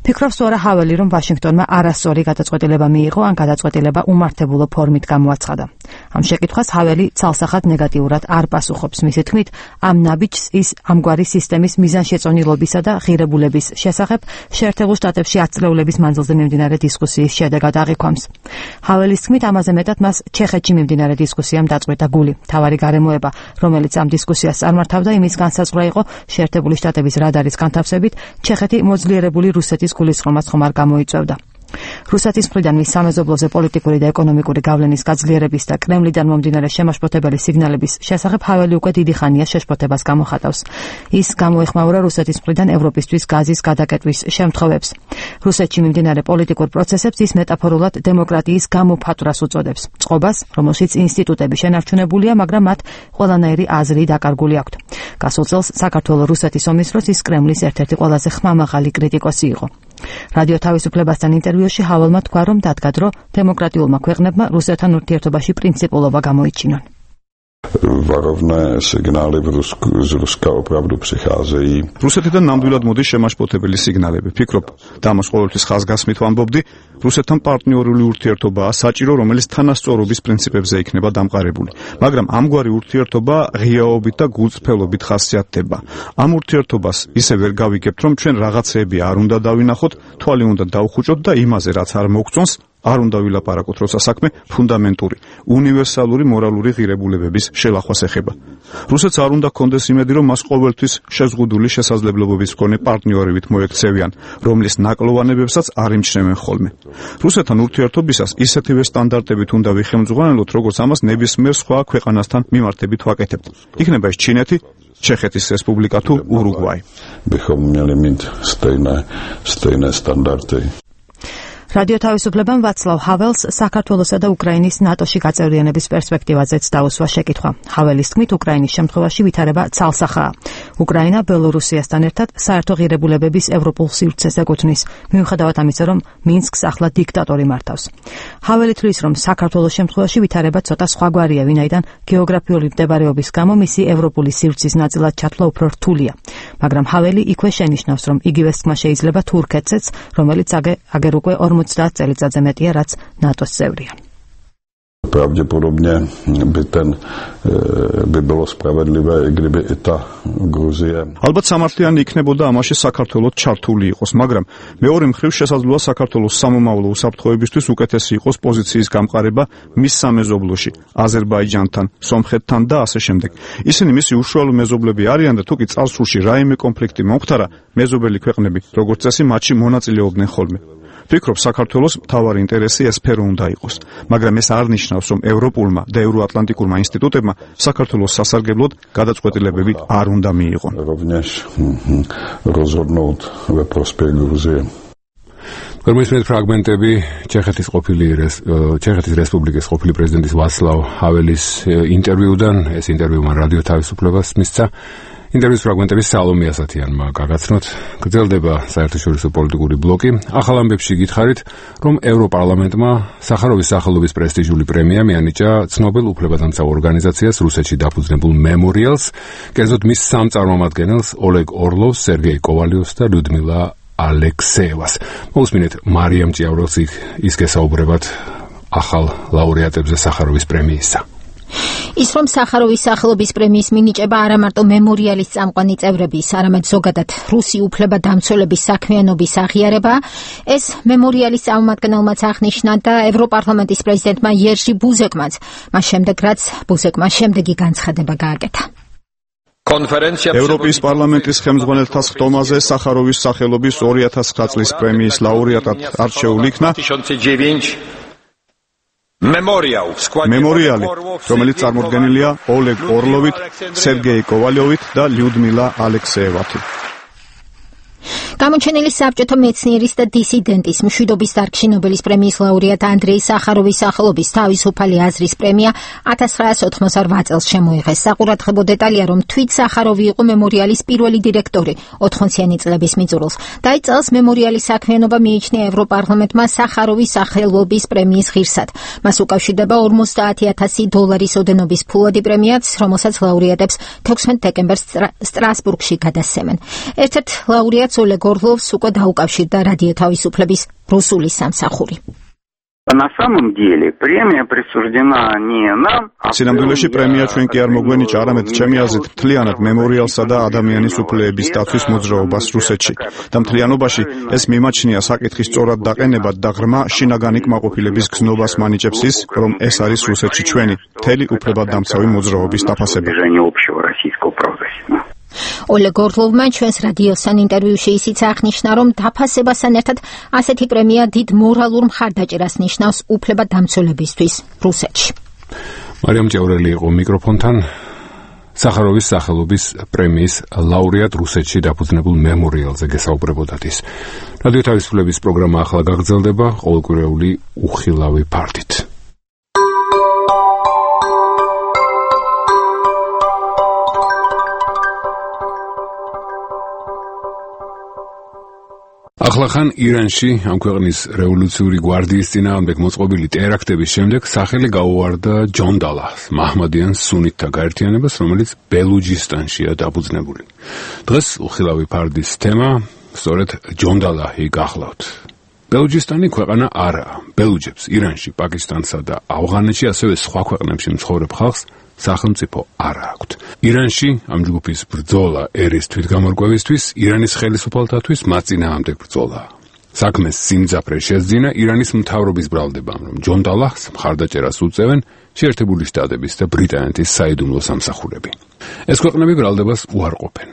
ფიქრობს თუ არა ჰაველი, რომ ვაშინგტონმა არასწორი გადაწყვეტილება მიიღო, ან გადაწყვეტილება უმართებულო ფორმით გამოაცხადა. ამ შეკითხვას ჰაველი ცალსახად ნეგატიურად არ პასუხობს. მისი თქმით, ამ ნაბიჯს ის ამგვარი სისტემის მიზანშეწონილობისა და ღირებულების შესახებ შეერთებულ შტატებში ათწლეულების მანძილზე მიმდინარე დისკუსიის შედეგად აღიქვამს. ჰაველის თქმით, ამაზე მეტად მას ჩეხეთში მიმდინარე დისკუსიამ დაწყვეტა გული. მთავარი გარემოება, რომელიც ამ დისკუსიას წარმართავდა, იმის განსაზღვრა იყო შეერთებული შტატების რადარის განთავსებით ჩეხეთი მოძლიერებული რუსეთის გულისწყრომას ხომ არ გამოიწვევდა. რუსეთის მხრიდან მის სამეზობლოზე პოლიტიკური და ეკონომიკური გავლენის გაძლიერების და კრემლიდან მომდინარე შემაშფოთებელი სიგნალების შესახებ ჰაველი უკვე დიდი ხანია შეშფოთებას გამოხატავს. ის გამოეხმაურა რუსეთის მხრიდან ევროპისთვის გაზის გადაკეტვის შემთხვევებს. რუსეთში მიმდინარე პოლიტიკურ პროცესებს ის მეტაფორულად დემოკრატიის გამოფათვრას უწოდებს. წყობას, რომელშიც ინსტიტუტები შენარჩუნებულია, მაგრამ მათ ყველანაირი აზრი დაკარგული აქვთ. გასულ წელს საქართველოს რუსეთის ომის დროს ის კრემლის ერთ-ერთი ყველაზე ხმამაღალი კრიტიკოსი იყო. რადიო თავისუფლებასთან ინტერვიუში ჰაველმა თქვა, რომ დადგა, დემოკრატიულმა ქვეყნებმა რუსეთთან ურთიერთობაში პრინციპულობა გამოიჩინონ. Varovné signály z Ruska opravdu přicházejí. რუსეთიდან ნამდვილად მოდის შემაშფოთებელი სიგნალები. ფიქრობ, და ამას ყოველთვის ხაზგასმით ვამბობდი, რუსეთთან პარტნიორული ურთიერთობაა საჭირო, რომელიც თანასწორობის პრინციპებზე იქნება დამყარებული. მაგრამ ამგვარი ურთიერთობა ღიაობით და გულწრფელობით ხასიათდება. ამ ურთიერთობას ისე ვერ გავიგებთ, რომ ჩვენ რაღაცეები არ უნდა დავინახოთ, თვალი უნდა დავხუჭოთ და იმაზე, რაც არ მოგწონს, არ უნდა ვილაპარაკოთ, როცა საქმე ფუნდამენტური, უნივერსალური მორალური ღირებულებების შელახვას ეხება. რუსეთს არ უნდა კონდეს იმედი, რომ მას ყოველთვის შეზღუდული შესაძლებლობების მქონე პარტნიორებით მოექცევიან, რომლის ნაკლოვანებებსაც არ იმჩნევენ ხოლმე. რუსეთთან ურთიერთობისას ისეთივე სტანდარტებით უნდა ვიხელმძღვანელოთ, როგორც ამას ნებისმიერ სხვა ქვეყანასთან მიმართებით ვაკეთებთ. იქნება ეს ჩინეთი, ჩეხეთის რესპუბლიკა თუ ურუგვაი. Bychom měli mít stejné, stejné standardy. რადიო თავისუფლებამ ვაცლავ ჰაველს საქართველოსა და უკრაინის ნატოში გაწევრიანების პერსპექტივაზეც დაუსვა შეკითხვა. ჰაველის თქმით, უკრაინის შემთხვევაში ვითარება ცალსახაა. უკრაინა ბელორუსიასთან ერთად საერთო ღირებულებების ევროპულ სივრცეს ეკუთვნის, მიუხედავად ამისა, რომ მინსკს ახლა დიქტატორი მართავს. ჰაველი თვლის, რომ საქართველოს შემთხვევაში ვითარება ცოტა სხვაგვარია, ვინაიდან გეოგრაფიული მდებარეობის გამო მისი ევროპული სივრცის ნაწილად ჩათვლა უფრო რთულია. მაგრამ ჰაველი იქვე შენიშნავს, რომ იგივეს თქმა შეიძლება თურქეთზეც, რომელიც აგერ უკვე ორმოცდაათ წელიწადზე მეტია, რაც ნატოს წევრია. Pravděpodobně by ten by bylo spravedlivé, i kdyby i ta Gruzie. Ალბათ სამართლიანი იქნებოდა ამაში საქართველოს ჩართული იყოს, მაგრამ მეორე მხრივ შესაძლოა საქართველოს სამომავლო უსაფრთხოებისთვის უკეთესი იყოს პოზიციის გამყარება მის სამეზობლოში, აზერბაიჯანთან, სომხეთთან და ასე შემდეგ. ისინი მისი უშუალო მეზობლები არიან და თუკი წარსულში რაიმე კონფლიქტი მომხდარა, მეზობელი ქვეყნები, როგორც წესი, მათში მონაწილეობდნენ ხოლმე. ვფიქრობ, საქართველოს მთავარი ინტერესი ეს სფერო უნდა იყოს, მაგრამ ეს არ ნიშნავს, რომ ევროპულმა და ევროატლანტიკურმა ინსტიტუტებმა საქართველოს სასარგებლოდ გადაწყვეტილებები არ უნდა მიიღონ. გორმისმეთ ფრაგმენტები ჩეხეთის ყოფილი ჩეხეთის რესპუბლიკის ყოფილი პრეზიდენტის ვაცლავ ჰაველის ინტერვიუდან, ეს ინტერვიუ მან რადიო თავისუფლებას მისცა. ინტერვიუს ფრაგმენტები სალომე ასათიანმა გაგაცნოთ. გრძელდება საერთაშორისო პოლიტიკური ბლოკი. ახალ ამბებში გითხარით, რომ ევროპარლამენტმა სახაროვის სახელობის პრესტიჟული პრემია მიანიჭა ცნობილ უფლებადამცავ ორგანიზაციას რუსეთში დაფუძნებულ მემორიალს, კერძოდ მის სამ წარმომადგენელს ოლეგ ორლოვს, სერგეი კოვალიოვს და ლიუდმილა ალექსეევას. მოусმინეთ მარიამ ჭიაურელს ის გესაუბრებათ ახალ ლაურეატებზე სახაროვის პრემიისა. ის რომ სახაროვის სახელობის პრემიის მინიჭება არა მარტო მემორიალის წამყვანი წევრების, არამედ ზოგადად რუსი უფლებადამცველების საქმიანობის აღიარება, ეს მემორიალის წარმომადგენელმაც აღნიშნა და ევროპარლამენტის პრეზიდენტმა იერჟი ბუზეკმაც, მას შემდეგ რაც ბუზეკმა შემდეგი განცხადება გააკეთა. ევროპის პარლამენტის ხელმძღვანელთა სხდომაზე სახაროვის სახელობის ორი ათას ცხრა წლის პრემიის ლაურეატად არჩეულ იქნა მემორიალი, რომელიც წარმოდგენილია ოლეგ ორლოვით, სერგეი კოვალიოვით და ლიუდმილა ალექსეევით. გამოჩენილი საბჭოთა მეცნიერის და დისიდენტის მშვიდობის დარგში ნობელის პრემიის ლაურეატ ანდრეი სახაროვის სახელობის თავისუფალი აზრის პრემია ათას ცხრაასი ოთხმოცდაოთხ წელს შემოიღეს. საყურადღებო დეტალია, რომ თვით სახაროვი იყო მემორიალის პირველი დირექტორი ოთხმოციანი წლების მიწურულს. და აი წელს მემორიალის საქმიანობა მიიჩნია ევროპარლამენტმა სახაროვის სახელობის პრემიის ღირსად. მას უკავშირდება ორმოცდაათი ათასი დოლარის ოდენობის ფულადი პრემიაც, რომელსაც ლაურეატებს თექვსმეტ დეკემბერს სტრასბურგში გადასცემენ. ერთ-ერთ ლაურეატს ოლეგ ორლოვს უკვე დაუკავშირდა რადიო თავისუფლების რუსული სამსახური. На самом деле премия присуждена не нам. სინამდვილეში პრემია ჩვენ კი არ მოგვენიჭა, არამედ ჩემი აზრით მთლიანად მემორიალსა და ადამიანის უფლებების დაცვის მოძრაობას რუსეთში. და მთლიანობაში ეს მიმაჩნია საკითხის სწორად დაყენებად და ღრმა შინაგანი კმაყოფილების გზნობას მანიჭებს ის, რომ ეს არის რუსეთში ჩვენი მთელი უფლებადამცავი მოძრაობის დაფასება. ოლეგ ორლოვმა ჩვენს რადიოსთან ინტერვიუში ისიც აღნიშნა, რომ დაფასებასთან ერთად ასეთი პრემია დიდ მორალურ მხარდაჭერას ნიშნავს უფლებადამცველებისთვის რუსეთში. მარიამ ჭიაურელი იყო მიკროფონთან. სახაროვის სახელობის პრემიის ლაურეატ რუსეთში დაფუძნებულ მემორიალზე გესაუბრებოდათ ის. რადიო თავისუფლების პროგრამა ახლა გაგრძელდება ყოველკვირეული უხილავი ფართით. ახლახან ირანში ამ ქვეყნის რევოლუციური გვარდიის წინააღმდეგ მოწყობილი ტერაქტების შემდეგ სახელი გაუვარდა ჯონდალას, მაჰმადიან სუნიტთა გაერთიანებას, რომელიც ბელუჯისტანშია დაფუძნებული. დღეს უხილავი ფარდის თემა სწორედ ჯონდალაჰი გახლავთ. ბელუჯისტანი ქვეყანა არაა. ბელუჯებს ირანში, პაკისტანსა და ავღანეთში, ასევე სხვა ქვეყნებში მცხოვრებ ხალხს სახელმწიფო არ აქვთ. ირანში ამ ჯგუფის ბრძოლა ერის თვითგამორკვევისთვის, ირანის ხელისუფალთათვის მათ წინააღმდეგ ბრძოლაა. საქმეს სიმძაფრე შეძინა ირანის მთავრობის ბრალდებამ, რომ ჯონდალაჰს მხარდაჭერას უწევენ შეერთებული შტატების და ბრიტანეთის საიდუმლო სამსახურები. ეს ქვეყნები ბრალდებას უარყოფენ.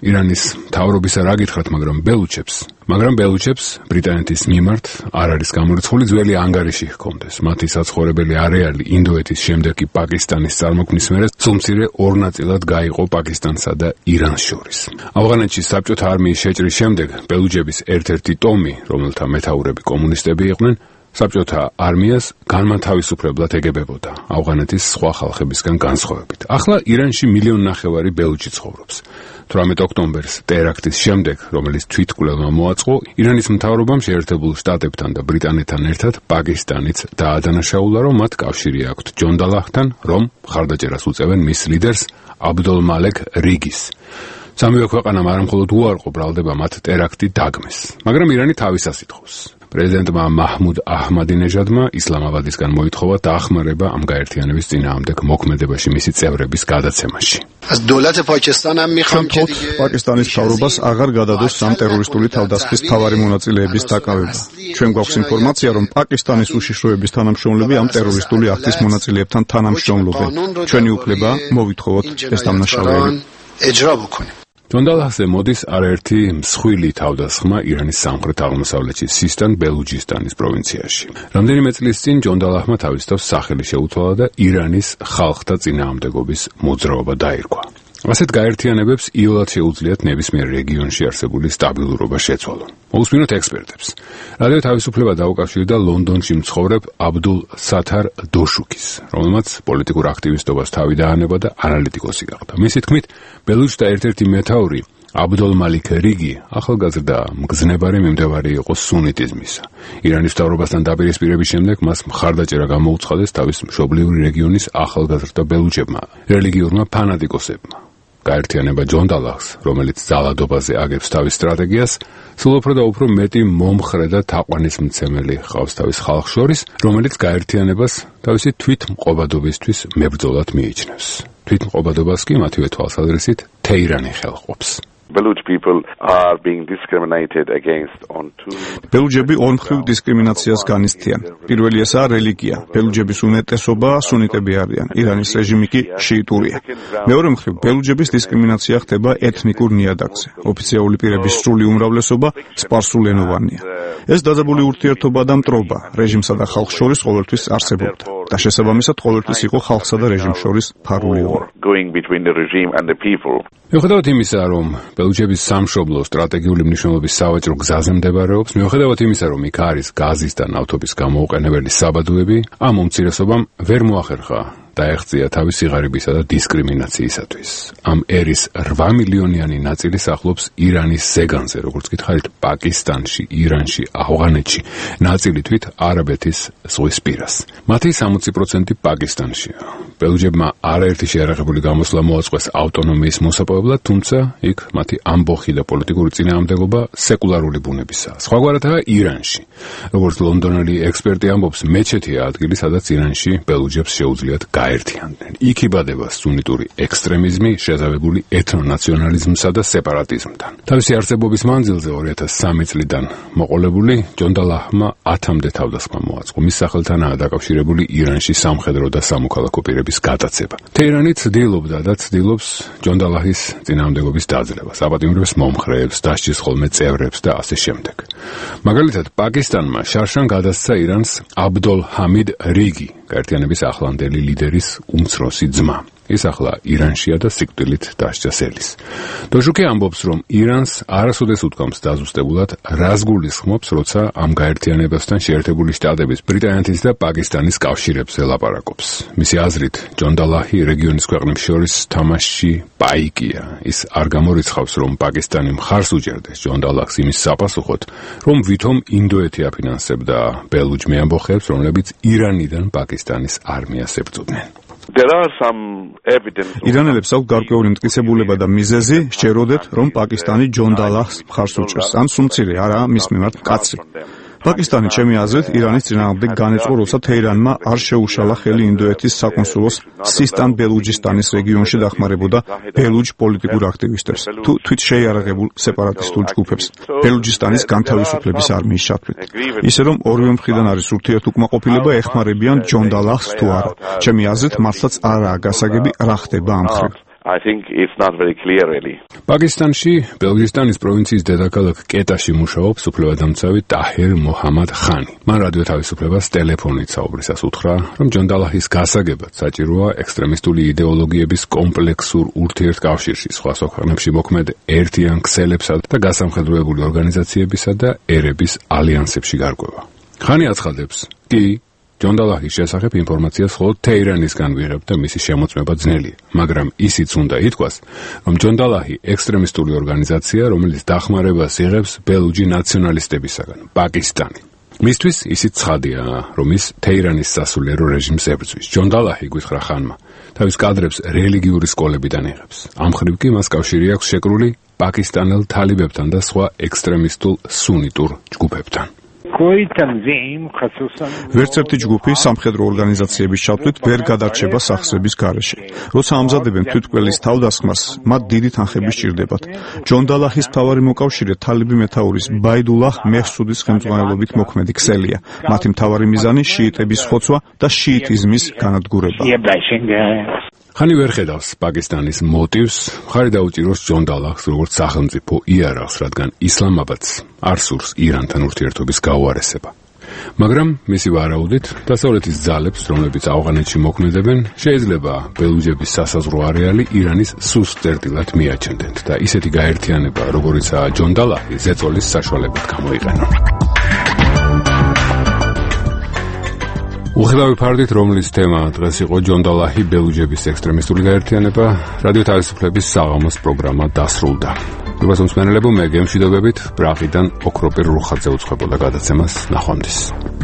ირანის მთავრობისა რა გითხრათ, მაგრამ ბელუჩებს მაგრამ ბელუჩებს ბრიტანეთის მიმართ არ არის გამორიცხული ძველი ანგარიში ჰქონდეს. მათი საცხოვრებელი არეალი ინდოეთის შემდეგ კი პაკისტანის წარმოქმნის მერე სულმცირე ორ ნაწილად გაიყო პაკისტანსა და ირანს შორის. ავღანეთში საბჭოთა არმიის შეჭრის შემდეგ ბელუჩების ერთ-ერთი ტომი, რომელთა მეთაურები კომუნისტები იყვნენ, საბჭოთა არმიას განმათავისუფლებლად ეგებებოდა ავღანეთის სხვა ხალხებისგან განსხვავებით. ახლა ირანში მილიონი ნახევარი ბელუჩი ცხოვრობს. თვრამეტ ოქტომბერს ტერაქტის შემდეგ, რომელიც თვითმკვლელმა მოაწყო, ირანის მთავრობამ შეერთებულ შტატებთან და ბრიტანეთთან ერთად პაკისტანიც დაადანაშაულა, რომ მათ კავშირი აქვთ ჯონდალაჰთან, რომ მხარდაჭერას უწევენ მის ლიდერს აბდულ მალეკ რიგის. სამივე ქვეყანამ არამხოლოდ უარყო ბრალდება მათ ტერაქტი დაგმეს, მაგრამ ირანი თავისას ითხოვს. პრეზიდენტმა მაჰმუდ აჰმადინეჟადმა ისლამაბადისგან მოითხოვა დაახმარება ამ გაერთიანების წინააღმდეგ მოქმედებაში მისი წევრების გადაცემაში. შემთხვევით პაკისტანის მთავრობას აღარ გადადოს სამ ტერორისტული თავდასხმის მთავარი მონაწილეების დაკავება. ჩვენ გვაქვს ინფორმაცია, რომ პაკისტანის უშიშროების თანამშრომლები ამ ტერორისტული აქტის მონაწილეებთან თანამშრომლობენ. ჩვენი უფლება მოვითხოვოთ ეს დამნაშავეები. ჯონდალაჰზე მოდის არაერთი მსხვილი თავდასხმა ირანის სამხრეთ-აღმოსავლეთში სისტან ბელუჯისტანის პროვინციაში. რამდენიმე წლის წინ ჯონდალაჰმა თავის თავს სახელი შეუცვალა და ირანის ხალხთა წინააღმდეგობის მოძრაობა დაირქვა. ასეთ გაერთიანებებს იოლად შეუძლიათ ნებისმიერ რეგიონში არსებული სტაბილურობა შეცვალონ. მოусმინოთ ექსპერტებს. რადიო თავისუფლება დაუკავშირდა ლონდონში მცხოვრებ აბდულ სათარ დოშუკის, რომელმაც პოლიტიკურ აქტივისტობას თავი დაანება და ანალიტიკოსი გახდა. მისი თქმით, ბელუჩთა ერთ-ერთი მეთაური აბდულ მალიქ რიგი ახალგაზრდა მგზნებარი მიმდევარი იყო სუნიტიზმისა. ირანის მთავრობასთან დაპირისპირების შემდეგ მას მხარდაჭერა გამოუცხადეს თავის მშობლიური რეგიონის ახალგაზრდა ბელუჩებმა, რელიგიურმა ფანატიკოსებმა. გაერთიანება ჯონდალაჰს, რომელიც ძალადობაზე აგებს თავის სტრატეგიას, სულ უფრო და უფრო მეტი მომხრე და თაყვანისმცემელი ჰყავს თავის ხალხს შორის, რომელიც გაერთიანებას თავისი თვითმყოფადობისთვის მებრძოლად მიიჩნევს. თვითმყოფადობას კი მათივე თვალსაზრისით თეირანი ხელყოფს. Baluch people are being discriminated against on two ბელუჯები ორმხრივ დისკრიმინაციას განიცდიან. პირველი ესაა რელიგია. ბელუჯების უმეტესობა სუნიტები არიან. ირანის რეჟიმი კი შიიტურია. მეორე მხრივ ბელუჯების დისკრიმინაცია ხდება ეთნიკურ ნიადაგზე. ოფიციალური პირების სრული უმრავლესობა სპარსულენოვანია. ეს დაძაბული ურთიერთობა და მტრობა რეჟიმსა და ხალხს შორის ყოველთვის არსებობდა. და შესაბამისად ყოველთვის იყო ხალხსა და რეჟიმს შორის ფარული ომი. going between the regime and the people. მიუხედავად იმისა, რომ ბელუჯების სამშობლო სტრატეგიული მნიშვნელობის სავაჭრო გზაზე მდებარეობს, მიუხედავად იმისა, რომ იქ არის გაზის და ნავთობის გამოუყენებელი საბადოები, ამ უმცირესობამ ვერ მოახერხა დაეღწია თავისი ღარიბისა და დისკრიმინაციისათვის. ამ ერის რვა მილიონიანი ნაწილი სახლობს ირანის ზეგანზე, როგორც გითხარით, პაკისტანში, ირანში, ავღანეთში, ნაწილი თვით არაბეთის ზღვის პირას. მათი სამოცი პროცენტი პაკისტანშია. ბელუჯებმა არაერთი შეიარაღებული გამოსვლა მოაწყვეს ავტონომიის მოსაპოვებლად, თუმცა იქ მათი ამბოხი და პოლიტიკური წინააღმდეგობა სეკულარული ბუნებისაა. სხვაგვარადაა ირანში. როგორც ლონდონელი ექსპერტი ამბობს, მეჩეთია ადგილი, სადაც ირანში ბელუჯებს შეუძლიათ გაერთიანდნენ. იქ იბადება სუნიტური ექსტრემიზმი, შეზავებული ეთნონაციონალიზმსა და სეპარატიზმთან. თავისი არსებობის მანძილზე ორი ათას სამი წლიდან მოყოლებული ჯონდალაჰმა ათამდე თავდასხმა მოაწყო. მის სახელთანაა დაკავშირებული ირანში სამხედრო და სამოქალაქო პირების გატაცება. თეირანი ცდილობდა და ცდილობს ჯონდალაჰის წინააღმდეგობის დაძლევას, აპატიმრებს მომხრეებს, დასჯის ხოლმე წევრებს და ასე შემდეგ. მაგალითად, პაკისტანმა შარშან გადასცა ირანს აბდულ ჰამიდ რიგი, გაერთიანების ახლანდელი ლიდერის უმცროსი ძმა. ის ახლა ირანშია და სიკვდილით დასჯას ელის. დოშუკი ამბობს, რომ ირანს არასოდეს უთქვამს დაზუსტებულად, რას გულისხმობს, როცა ამ გაერთიანებასთან შეერთებული შტატების, ბრიტანეთის და პაკისტანის კავშირებზე ლაპარაკობს. მისი აზრით, ჯონდალაჰი რეგიონის ქვეყნებს შორის თამაშში პაიკია. ის არ გამორიცხავს, რომ პაკისტანი მხარს უჭერდეს ჯონდალაჰს იმის sapasუხოდ, რომ ვითომ ინდოეთი აფინანსებდა ბელუჯ მეამბოხეებს, რომლებიც ირანიდან პაკისტანის არმიას ებრძოდნენ. There are some evidence. ირანელებს აქვს გარკვეული მტკიცებულება და მიზეზი სჯეროდეთ, რომ პაკისტანი ჯონდალაჰს მხარს უჭერს. ან სუმცირე არაა მის მიმართ კაცრი. პაკისტანი ჩემი აზრით ირანის წინააღმდეგ განეწყო, როცა თეირანმა არ შეუშალა ხელი ინდოეთის საკონსულოს სისტან ბელუჯისტანის რეგიონში დახმარებოდა ბელუჯ პოლიტიკურ აქტივისტებს თუ თვით შეიარაღებულ სეპარატისტულ ჯგუფებს ბელუჯისტანის განთავისუფლების არმიის ჩათვლით. ისე რომ ორივე მხრიდან არის ურთიერთუკმაყოფილება, ეხმარებიან ჯონდალაჰს თუ არა. ჩემი აზრით მართლაც არაა გასაგები, რა ხდება ამ მხრივ. I think it's not very clear really. პაკისტანში ბელუჯისტანის პროვინციის დედაქალაქ კეტაში მუშაობს უფლებადამცავი ტაჰერ მოჰამად ხანი. მან რადიო თავისუფლებას ტელეფონით საუბრისას უთხრა, რომ ჯონ-დალაჰის გასაგებად საჭიროა ექსტრემისტული იდეოლოგიების კომპლექსურ ურთიერთკავშირში სხვა ქვეყნებში მოქმედ ერთიან ქსელებსა და გასამხედროებული ორგანიზაციებისა და ერების ალიანსებში გარკვევა. ხანი აცხადებს, კი ჯონ-დალაჰის შესახებ ინფორმაციას მხოლოდ თეირანისგან ვიღებ და მისი შემოწმება ძნელია, მაგრამ ისიც უნდა ითქვას, რომ ჯონ-დალაჰი ექსტრემისტული ორგანიზაცია, რომელიც დახმარებას იღებს ბელუჯი ნაციონალისტებისაგან, პაკისტანი. მისთვის ისიც ცხადია, რომ ის თეირანის სასულიერო რეჟიმს ებრძვის. ჯონ-დალაჰი გითხრა ხანმა, თავის კადრებს რელიგიური სკოლებიდან იღებს. ამ მხრივ კი მას კავშირი აქვს შეკრული პაკისტანელ თალიბებთან და სხვა ექსტრემისტულ სუნიტურ ჯგუფებთან. ვერც ერთი ჯგუფი სამხედრო ორგანიზაციების ჩათვლით ვერ გადარჩება სახსრების გარეშე. როცა ამზადებენ თვითმკვლელის თავდასხმას, მათ დიდი თანხები სჭირდებათ. ჯონ-დალაჰის მთავარი მოკავშირე თალიბი მეთაურის ბაიდულაჰ მეჰსუდის ხელმძღვანელობით მოქმედი ქსელია. მათი მთავარი მიზანი შიიტების ხოცვა და შიიტიზმის განადგურება. ხანი ვერ ხედავს პაკისტანის მოტივს, ხარი დაუჭიროს ჯონ-დალაჰს როგორც სახელმწიფო იარაღს, რადგან ისლამაბადს არ სურს ირანთან ურთიერთობის გაუარესება. მაგრამ მისი ვარაუდით, დასავლეთის ძალებს, რომლებიც ავღანეთში მოქმედებენ, შეიძლება ბელუჯების სასაზღვრო არეალი ირანის სუსტ წერტილად მიაჩნდეთ და ისეთი გაერთიანება, როგორიცაა ჯონ-დალაჰი, ზეწოლის საშუალებით გამოიყენონ. უხილავი ფარდით, რომლის თემა დღეს იყო ჯონ-დალაჰი ბელუჯების ექსტრემისტული გაერთიანება, რადიო თავისუფლების საღამოს პროგრამა დასრულდა. პირველ მსმენელებო, მე გემშვიდობებით, პრაღიდან ოქროპირ რუხაძე უცხებოდა გადაცემას. ნახვამდის.